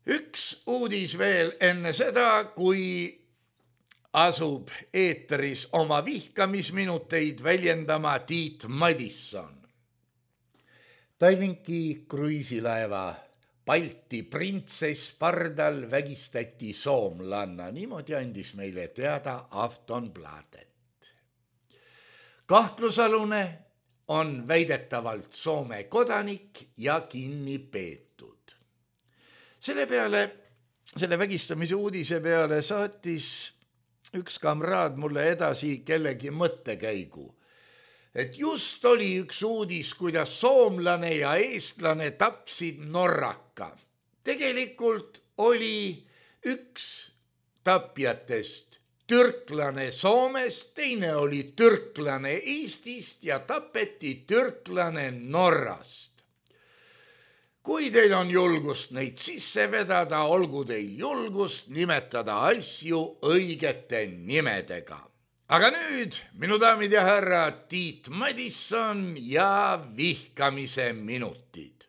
Üks uudis veel enne seda, kui asub eetris oma vihkamisminuteid väljendama Tiit Madisson. Tallinki kruiisilaeva Balti printsess pardal vägistati soomlanna, niimoodi andis meile teada Aftonbladet. Kahtlusalune on väidetavalt Soome kodanik ja kinni peetud. Selle peale, selle vägistamise uudise peale saatis üks kamraad mulle edasi kellegi mõttekäigu, et just oli üks uudis, kuidas soomlane ja eestlane tapsid norraka. Tegelikult oli üks tapjatest türklane Soomest, teine oli türklane Eestist ja tapeti türklane Norrast. Kui teil on julgust neid sisse vedada, olgu teil julgust nimetada asju õigete nimedega. Aga nüüd, minu daamid ja härrad, Tiit Madisson ja vihkamise minutid.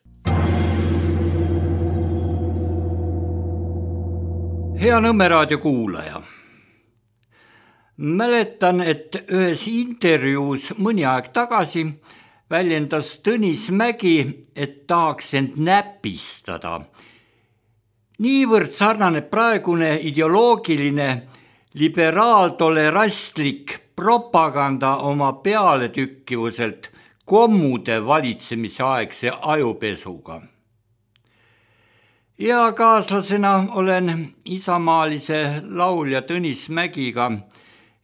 Hea Nõmme raadio kuulaja. Mäletan, et ühes intervjuus mõni aeg tagasi väljendas Tõnis Mägi, et tahaks end näpistada. Niivõrd sarnaneb praegune ideoloogiline liberaaltolerastlik propaganda oma pealetükkivuselt kommude valitsemise aegse ajupesuga. Ja kaaslasena olen isamaalise laulja Tõnis Mägiga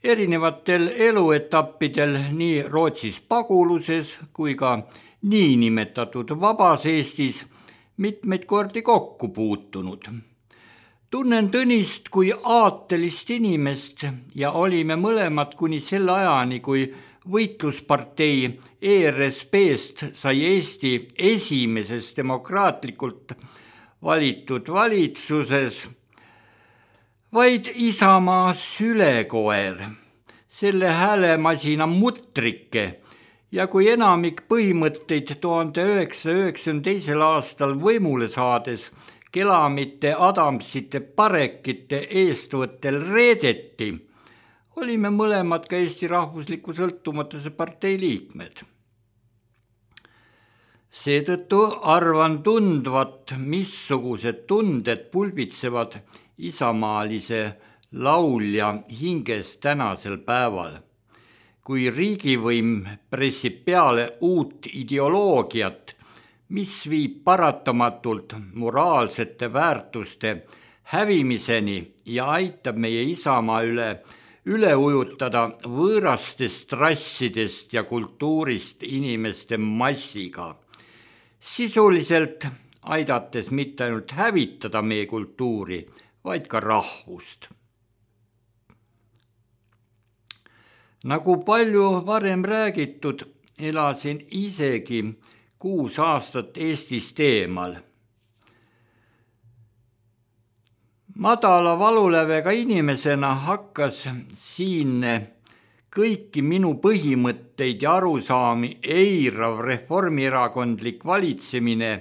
erinevatel eluetappidel nii Rootsis paguluses kui ka niinimetatud vabas Eestis mitmeid kordi kokku puutunud. Tunnen Tõnist kui aatelist inimest ja olime mõlemad kuni selle ajani, kui võitluspartei E R S P-st sai Eesti esimeses demokraatlikult valitud valitsuses vaid Isamaa sülekoer, selle häälemasina mutrike ja kui enamik põhimõtteid tuhande üheksasaja üheksakümne teisel aastal võimule saades Kelamite, Adamsite, Parekite eestvõttel reedeti, olime mõlemad ka Eesti Rahvusliku Sõltumatuse partei liikmed. Seetõttu arvan tundvat, missugused tunded pulbitsevad isamaalise laulja hinges tänasel päeval, kui riigivõim pressib peale uut ideoloogiat, mis viib paratamatult moraalsete väärtuste hävimiseni ja aitab meie Isamaa üle üle ujutada võõrastest rassidest ja kultuurist inimeste massiga, sisuliselt aidates mitte ainult hävitada meie kultuuri, vaid ka rahvust. Nagu palju varem räägitud, elasin isegi kuus aastat Eestist eemal. Madala valulävega inimesena hakkas siinne kõiki minu põhimõtteid ja arusaami eirav reformierakondlik valitsemine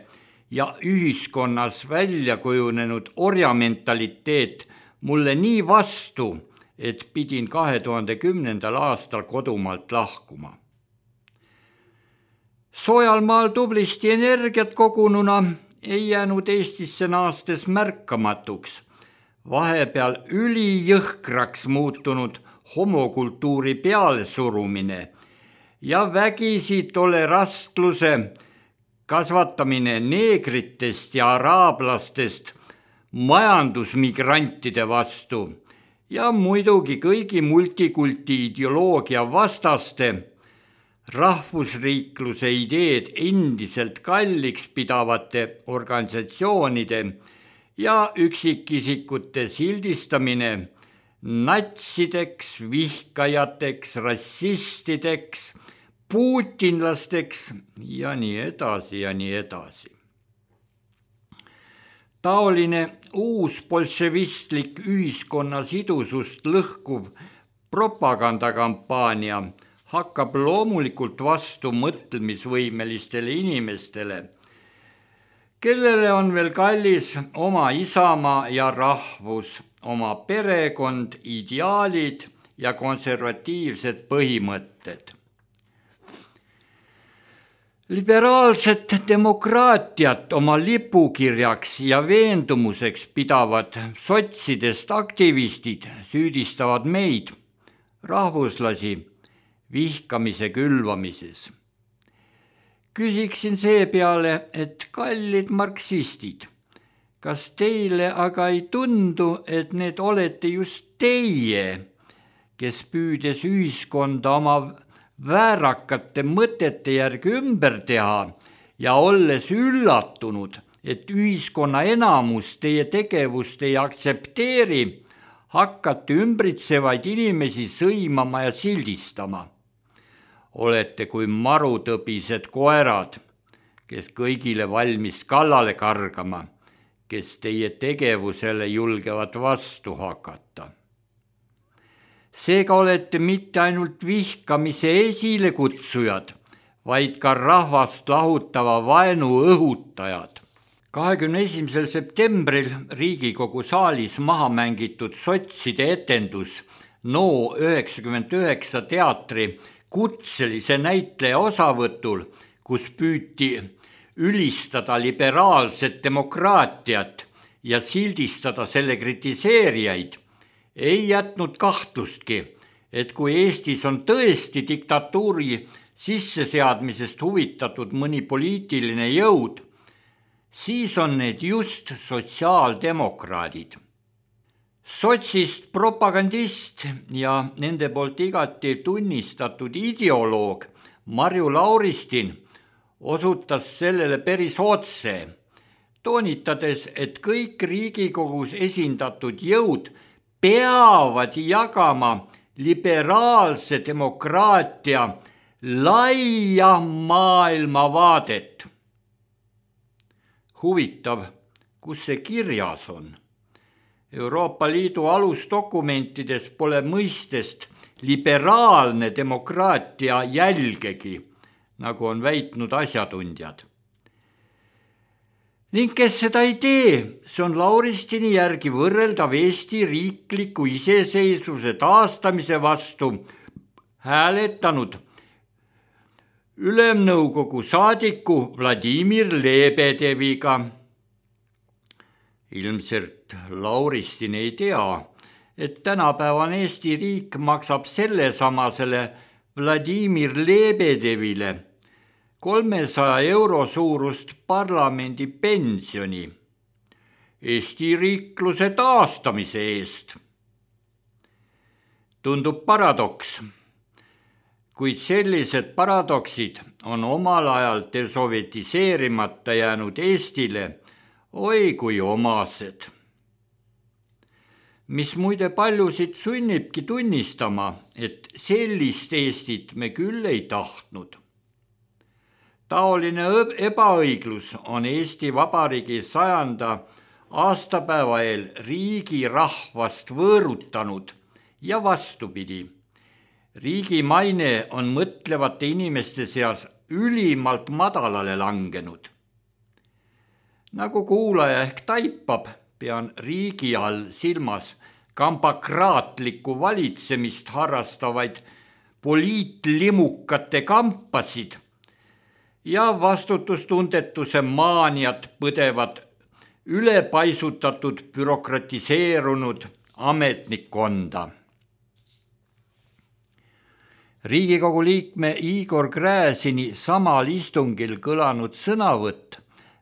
ja ühiskonnas välja kujunenud orjamentaliteet mulle nii vastu, et pidin kahe tuhande kümnendal aastal kodumaalt lahkuma. Soojal maal tublisti energiat kogununa ei jäänud Eestisse naastes märkamatuks vahepeal ülijõhkraks muutunud homokultuuri pealesurumine ja vägisi tolerantluse kasvatamine neegritest ja araablastest majandusmigrantide vastu ja muidugi kõigi multikulti ideoloogia vastaste rahvusriikluse ideed endiselt kalliks pidavate organisatsioonide ja üksikisikute sildistamine natsideks, vihkajateks, rassistideks, putinlasteks ja nii edasi ja nii edasi. Taoline uus bolševistlik ühiskonna sidusust lõhkuv propagandakampaania hakkab loomulikult vastu mõtlemisvõimelistele inimestele, kellele on veel kallis oma isamaa ja rahvus, oma perekond, ideaalid ja konservatiivsed põhimõtted. Liberaalset demokraatiat oma lipukirjaks ja veendumuseks pidavad sotsidest aktivistid süüdistavad meid, rahvuslasi, vihkamise külvamises. Küsiksin seepeale, et kallid marksistid, kas teile aga ei tundu, et need olete just teie, kes püüdes ühiskonda oma väärakate mõtete järgi ümber teha ja olles üllatunud, et ühiskonna enamus teie tegevust ei aktsepteeri, hakkate ümbritsevaid inimesi sõimama ja sildistama. Olete kui marutõbised koerad, kes kõigile valmis kallale kargama, kes teie tegevusele julgevad vastu hakata. Seega olete mitte ainult vihkamise esilekutsujad, vaid ka rahvast lahutava vaenu õhutajad. kahekümne esimesel septembril Riigikogu saalis maha mängitud sotside etendus No üheksakümmend üheksa teatri kutselise näitleja osavõtul, kus püüti ülistada liberaalset demokraatiat ja sildistada selle kritiseerijaid, ei jätnud kahtlustki, et kui Eestis on tõesti diktatuuri sisseseadmisest huvitatud mõni poliitiline jõud, siis on need just sotsiaaldemokraadid. Sotsist propagandist ja nende poolt igati tunnistatud ideoloog Marju Lauristin osutas sellele päris otse, toonitades, et kõik Riigikogus esindatud jõud peavad jagama liberaalse demokraatia laia maailmavaadet. Huvitav, kus see kirjas on? Euroopa Liidu alusdokumentides pole mõistest liberaalne demokraatia jälgegi, nagu on väitnud asjatundjad. Ning kes seda ei tee, see on Lauristini järgi võrreldav Eesti riikliku iseseisvuse taastamise vastu hääletanud Ülemnõukogu saadiku Vladimir Lebedeviga. Ilmselt Lauristin ei tea, et tänapäevane Eesti riik maksab sellesamasele Vladimir Lebedevile kolmesaja euro suurust parlamendi pensioni Eesti riikluse taastamise eest. Tundub paradoks, kuid sellised paradoksid on omal ajal desovetiseerimata jäänud Eestile oi kui omased. Mis muide paljusid sunnibki tunnistama, et sellist Eestit me küll ei tahtnud. Taoline ebaõiglus on Eesti Vabariigi sajanda aastapäeva eel riigi rahvast võõrutanud ja vastupidi. Riigi maine on mõtlevate inimeste seas ülimalt madalale langenud. Nagu kuulaja ehk taipab, pean riigi all silmas kampakraatlikku valitsemist harrastavaid poliitlimukate kampasid ja vastutustundetuse maaniat põdevad ülepaisutatud bürokratiseerunud ametnikkonda. Riigikogu liikme Igor Gräzini samal istungil kõlanud sõnavõtt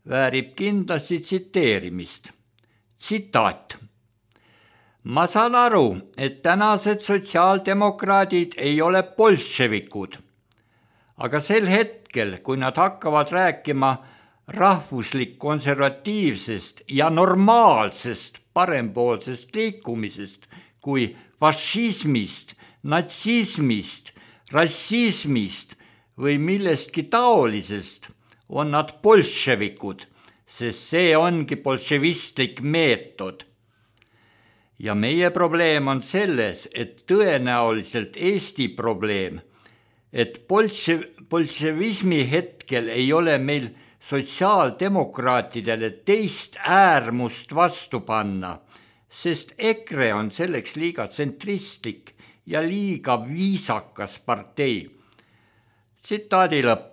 väärib kindlasti tsiteerimist. Tsitaat. Ma saan aru, et tänased sotsiaaldemokraadid ei ole bolševikud, aga sel hetkel, kui nad hakkavad rääkima rahvuslik konservatiivsest ja normaalsest parempoolsest liikumisest kui fašismist, natsismist, rassismist või millestki taolisest, on nad bolševikud, sest see ongi bolševistlik meetod. Ja meie probleem on selles, et tõenäoliselt Eesti probleem, et bolševismi hetkel ei ole meil sotsiaaldemokraatidele teist äärmust vastu panna, sest EKRE on selleks liiga tsentristlik ja liiga viisakas partei. Tsitaadi lõpp.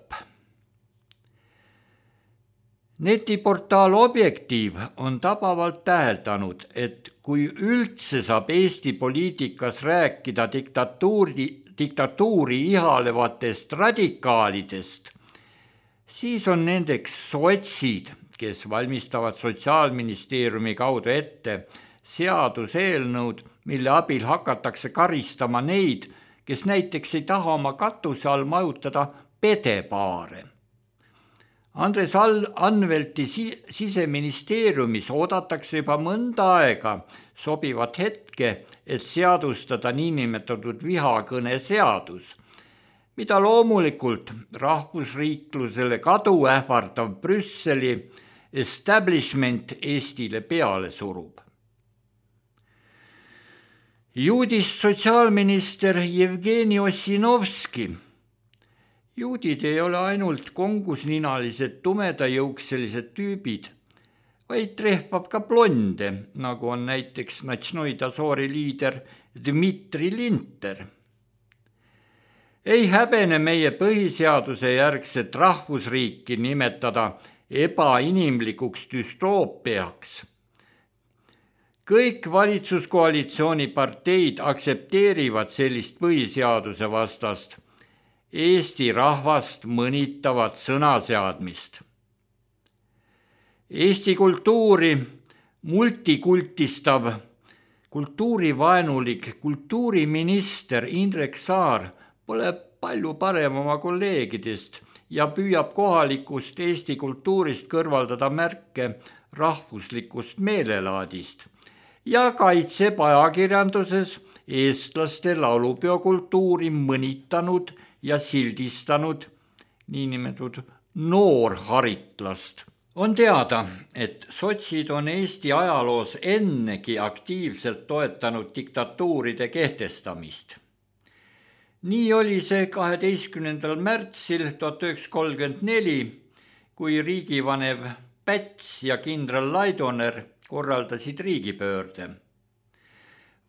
Netiportaal Objektiiv on tabavalt täheldanud, et kui üldse saab Eesti poliitikas rääkida diktatuuri, diktatuuri ihalevatest radikaalidest, siis on nendeks sotsid, kes valmistavad Sotsiaalministeeriumi kaudu ette seaduseelnõud, mille abil hakatakse karistama neid, kes näiteks ei taha oma katuse all majutada pedepaare. Andres Anvelti siseministeeriumis oodatakse juba mõnda aega sobivat hetke, et seadustada niinimetatud vihakõne seadus, mida loomulikult rahvusriiklusele kadu ähvardav Brüsseli establishment Eestile peale surub. Juudist sotsiaalminister Jevgeni Ossinovski. Juudid ei ole ainult kongusninalised tumedajõukselised tüübid, vaid trehvab ka blonde, nagu on näiteks Natšnoi Dazori liider Dmitri Linter. Ei häbene meie põhiseaduse järgset rahvusriiki nimetada ebainimlikuks düstoopiaks. Kõik valitsuskoalitsiooni parteid aktsepteerivad sellist põhiseaduse vastast Eesti rahvast mõnitavat sõnaseadmist. Eesti kultuuri multikultistav kultuurivaenulik kultuuriminister Indrek Saar pole palju parem oma kolleegidest ja püüab kohalikust Eesti kultuurist kõrvaldada märke rahvuslikust meelelaadist ja kaitseb ajakirjanduses eestlaste laulupeo-kultuuri mõnitanud ja sildistanud niinimetatud noorharitlast. On teada, et sotsid on Eesti ajaloos ennegi aktiivselt toetanud diktatuuride kehtestamist. Nii oli see kaheteistkümnendal märtsil tuhat üheksasada kolmkümmend neli, kui riigivanev Päts ja kindral Laidoner korraldasid riigipöörde.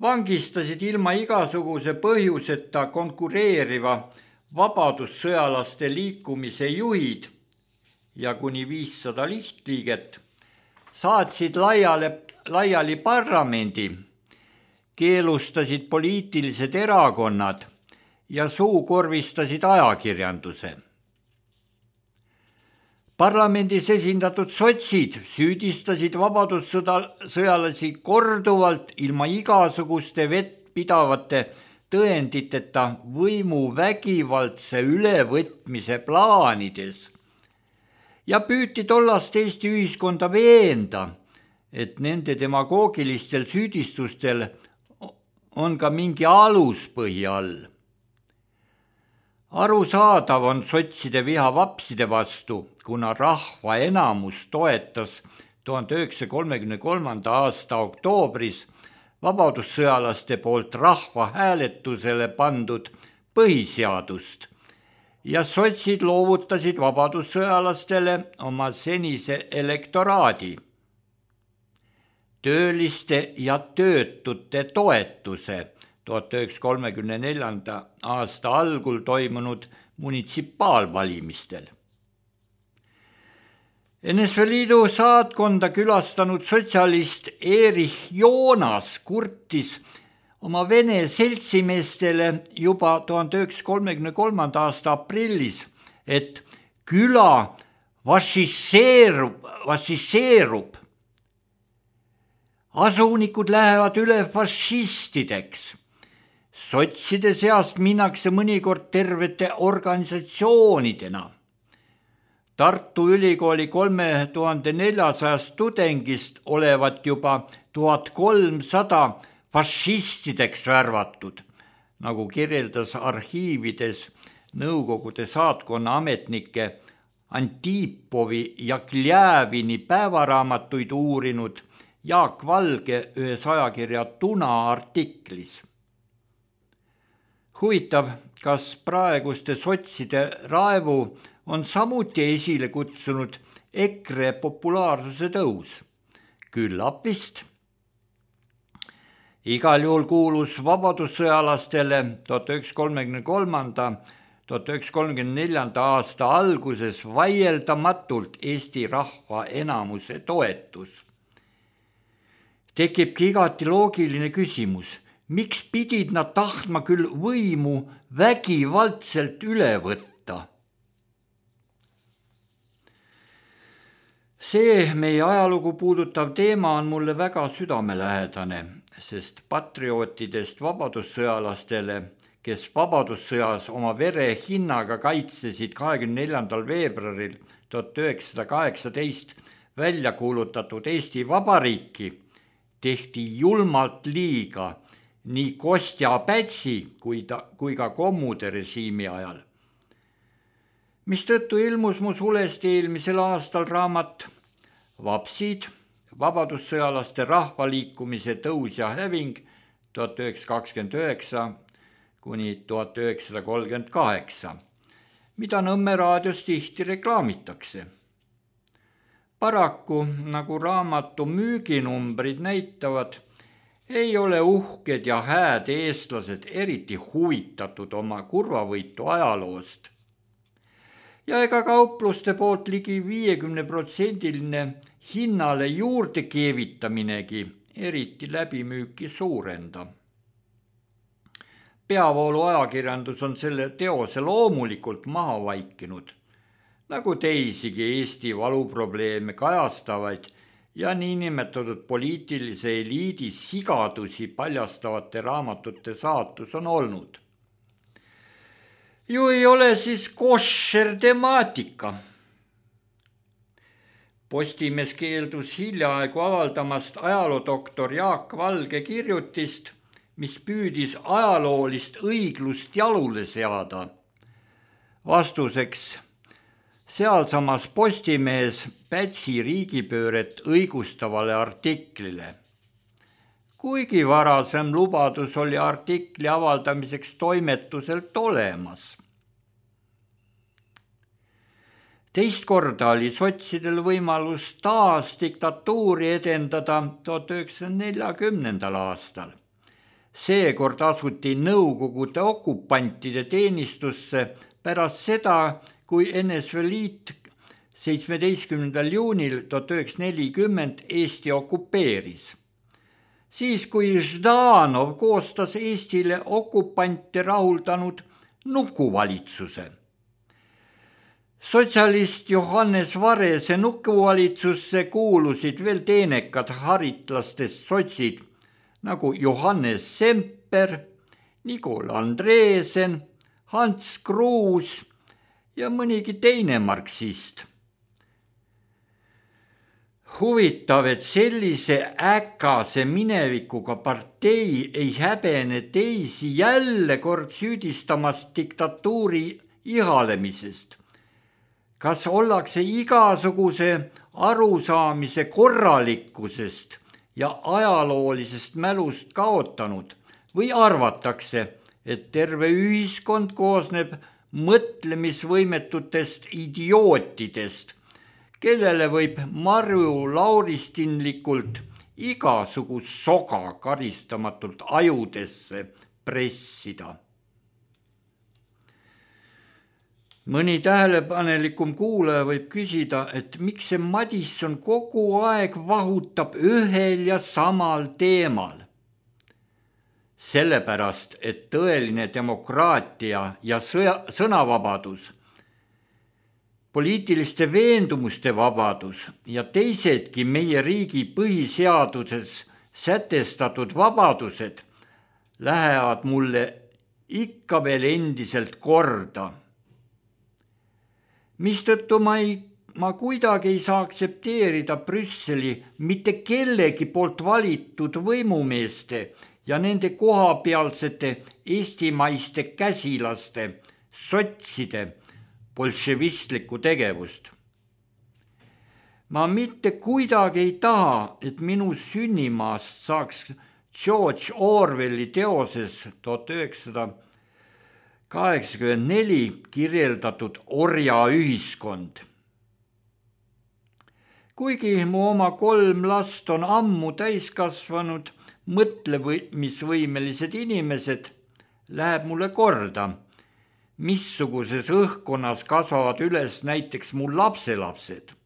Vangistasid ilma igasuguse põhjuseta konkureeriva vabadussõjalaste liikumise juhid ja kuni viissada lihtliiget, saatsid laiale, laiali parlamendi, keelustasid poliitilised erakonnad ja suukorvistasid ajakirjanduse. Parlamendis esindatud sotsid süüdistasid vabadussõjalasi korduvalt ilma igasuguste vettpidavate tõenditeta võimu vägivaldse ülevõtmise plaanides ja püüti tollast Eesti ühiskonda veenda, et nende demagoogilistel süüdistustel on ka mingi aluspõhi all. Arusaadav on sotside viha vapside vastu, kuna rahva enamus toetas tuhande üheksasaja kolmekümne kolmanda aasta oktoobris vabadussõjalaste poolt rahva hääletusele pandud põhiseadust ja sotsid loovutasid vabadussõjalastele oma senise elektoraadi, tööliste ja töötute toetuse tuhat üheksasaja kolmekümne neljanda aasta algul toimunud munitsipaalvalimistel. N S V Liidu saatkonda külastanud sotsialist Erich Joonas kurtis oma vene seltsimeestele juba tuhande üheksasaja kolmekümne kolmanda aasta aprillis, et küla fašiseerub, fašiseerub. Asunikud lähevad üle fašistideks. Sotside seast minnakse mõnikord tervete organisatsioonidena. Tartu Ülikooli kolme tuhande neljasajast tudengist olevat juba tuhat kolmsada fašistideks värvatud, nagu kirjeldas arhiivides Nõukogude saatkonna ametnike Antipovi ja Kljäävini päevaraamatuid uurinud Jaak Valge ühes ajakirja Tuna artiklis. Huvitav, kas praeguste sotside raevu on samuti esile kutsunud EKRE populaarsuse tõus? Küllap vist. Igal juhul kuulus vabadussõjalastele tuhat üheksasaja kolmekümne kolmanda tuhat üheksasaja kolmekümne neljanda aasta alguses vaieldamatult Eesti rahva enamuse toetus. Tekibki igati loogiline küsimus, miks pidid nad tahtma küll võimu vägivaldselt üle võtta? See meie ajalugu puudutav teema on mulle väga südamelähedane, sest patriootidest vabadussõjalastele, kes vabadussõjas oma vere hinnaga kaitsesid kahekümne neljandal veebruaril tuhat üheksasada kaheksateist välja kuulutatud Eesti Vabariiki, tehti julmalt liiga nii Kostja Pätsi kui, ta, kui ka kommude režiimi ajal. Mistõttu ilmus mu sulest eelmisel aastal raamat Vapsid, vabadussõjalaste rahvaliikumise tõus ja häving tuhat üheksasada kakskümmend üheksa kuni tuhat üheksasada kolmkümmend kaheksa, mida Nõmme raadios tihti reklaamitakse. Paraku, nagu raamatu müüginumbrid näitavad, ei ole uhked ja hääd eestlased eriti huvitatud oma kurvavõitu ajaloost. Ja ega kaupluste poolt ligi viiekümne protsendiline hinnale juurde keevitaminegi eriti läbimüüki suurenda. peavoolu ajakirjandus on selle teose loomulikult maha vaikinud, nagu teisigi Eesti valuprobleeme kajastavaid ja niinimetatud poliitilise eliidi sigadusi paljastavate raamatute saatus on olnud. Ju ei ole siis koššer temaatika. Postimees keeldus hiljaaegu avaldamast ajaloodoktor Jaak Valge kirjutist, mis püüdis ajaloolist õiglust jalule seada. Vastuseks sealsamas Postimees Pätsi riigipööret õigustavale artiklile. Kuigi varasem lubadus oli artikli avaldamiseks toimetuselt olemas. Teist korda oli sotsidel võimalus taas diktatuuri edendada tuhat üheksasaja neljakümnendal aastal. Seekord asuti Nõukogude okupantide teenistusse pärast seda, kui N S V Liit seitsmeteistkümnendal juunil tuhat üheksasada nelikümmend Eesti okupeeris. Siis, kui Ždanov koostas Eestile okupante rahuldanud nukuvalitsuse. Sotsialist Johannes Varese nukuvalitsusse kuulusid veel teenekad haritlastest sotsid, nagu Johannes Semper, Nigol Andreesen, Hans Kruus ja mõnigi teine marksist. Huvitav, et sellise äkase minevikuga partei ei häbene teisi jälle kord süüdistamast diktatuuri ihalemisest. Kas ollakse igasuguse arusaamise korralikkusest ja ajaloolisest mälust kaotanud või arvatakse, et terve ühiskond koosneb mõtlemisvõimetutest idiootidest, kellele võib Marju lauristinlikult igasugust soga karistamatult ajudesse pressida. Mõni tähelepanelikum kuulaja võib küsida, et miks see Madisson kogu aeg vahutab ühel ja samal teemal. Sellepärast, et tõeline demokraatia ja sõnavabadus, poliitiliste veendumuste vabadus ja teisedki meie riigi põhiseaduses sätestatud vabadused lähevad mulle ikka veel endiselt korda. Mistõttu ma, ei, ma kuidagi ei saa aktsepteerida Brüsseli mitte kellegi poolt valitud võimumeeste ja nende kohapealsete eestimaiste käsilaste, sotside, bolševistlikku tegevust. Ma mitte kuidagi ei taha, et minu sünnimaast saaks George Orwelli teoses tuhat üheksasada kaheksakümmend neli kirjeldatud orjaühiskond. Kuigi mu oma kolm last on ammu täiskasvanud, mõtlemisvõimelised inimesed, läheb mulle korda, missuguses õhkkonnas kasvavad üles näiteks mu lapselapsed.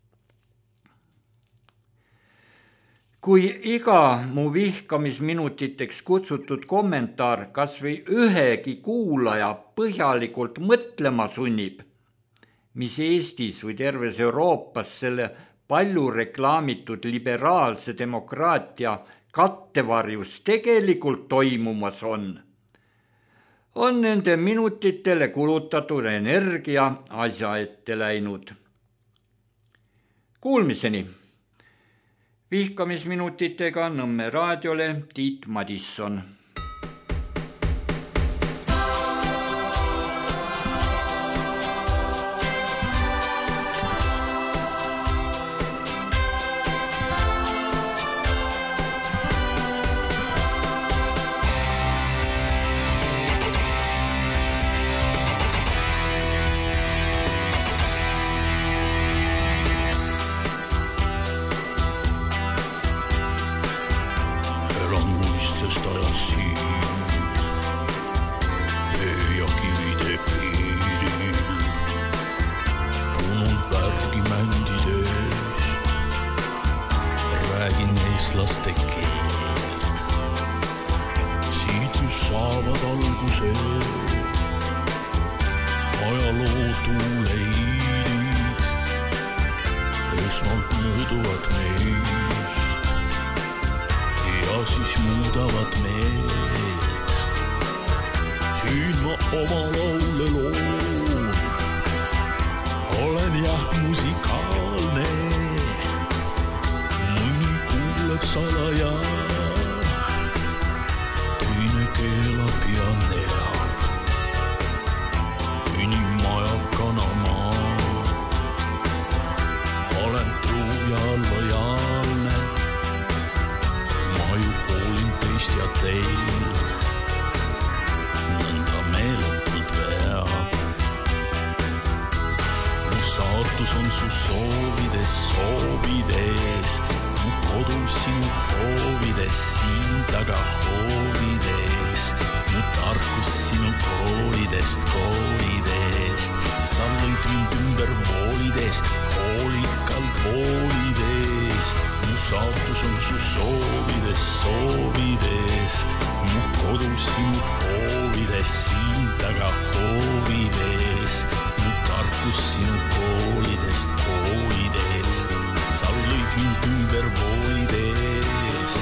Kui iga mu vihkamisminutiteks kutsutud kommentaar kas või ühegi kuulaja põhjalikult mõtlema sunnib, mis Eestis või terves Euroopas selle palju reklaamitud liberaalse demokraatia kattevarjus tegelikult toimumas on, on nende minutitele kulutatud energia asja ette läinud. Kuulmiseni! Vihkamisminutitega Nõmme raadiole Tiit Madisson. Muistest ajas ajalootuleidid esmalt mööduvad meist ja siis muudavad meelt. Siin ma oma laule loon, olen jah musikaalne, mõni kuuleb salaja, teine keelab ja neab, inimajakana ma olen truu ja lojaalne, ma ju hoolin teist ja teil nõnda meeletult veab. Mu saatus on su soovides, soovides, mu kodu sinu hoovides, siin taga hoovides, mu tarkus sinu koolidest, koolidest. Sa lõid mind ümber voolides, hoolikalt voolides. Mu saatus on su soovides, soovides, mu kodu sinu hoovides, siin taga hoovides. Mu tarkus sinu koolidest, koolidest. Sa lõid mind ümber voolides.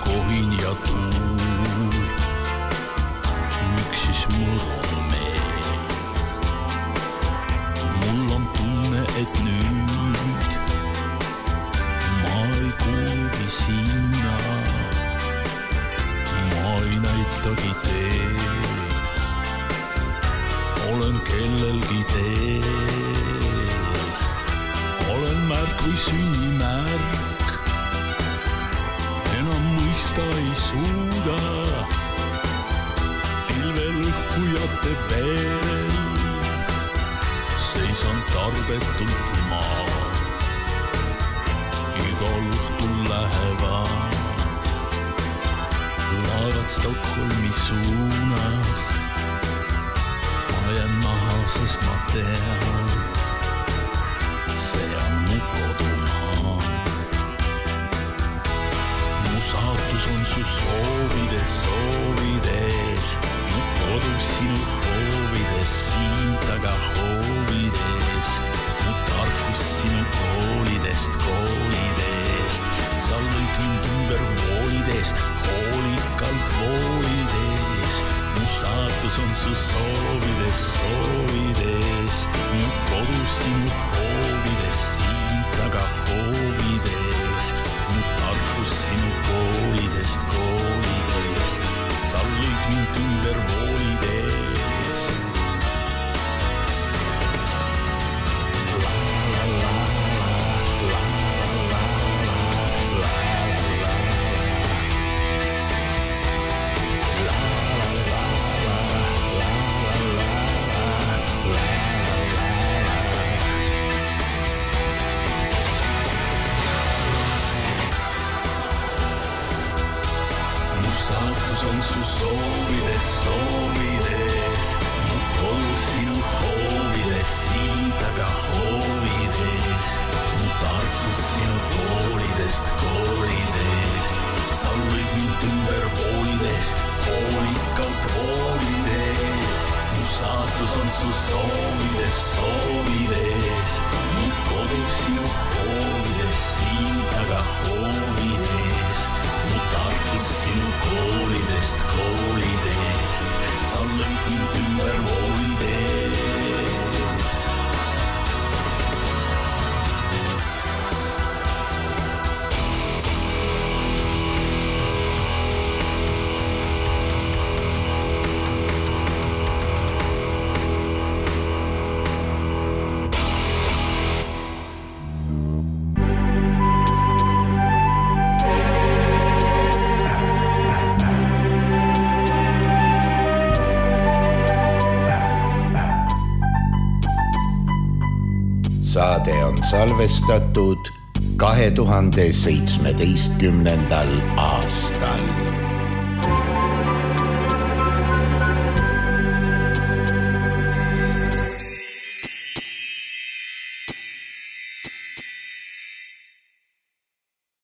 Kohin ja tuul, miks siis mul on meel? Mul on tunne, et nüüd ma ei kuulgi sinna, ma ei näitagi teed, olen kellelgi teel, olen märk või sünnimärk. Enam mõista ei suuda pilvel õhkujate veel. Seisan tarbetult maa, igal õhtul lähevad laevad Stockholmi suunas. Ma jään maha, sest ma tean, see on mu kodumaa. Saatus on su soovides, soovides, mu kodu sinu hoovides, siin taga hoovides, mu tarkus sinu koolidest, koolidest. Sa lõid mind ümber voolides, hoolikalt voolides. Mu saatus on su soovides, soovides, mu kodu sinu hoovides, siin taga hoovides. Mu tarkus sinu koolidest, koolidest. Sa lõid mind ümber voolides. La la la la, la la la la, la la la la, la la la la, la la la saatus on su soovides, soovides, mu kodu sinu hoovides, siin taga hoovides, mu tarkus sinu koolidest, koolidest. Sa lõid mind ümber voolides, hoolikalt voolides. Mu saatus on su soovides, soovides, mu kodu sinu hoovides, siin taga hoovides. Mu tarkus sinu koolidest, koolidest. Sa lõid mind ümber voolides. salvestatud kahe tuhande seitsmeteistkümnendal aastal.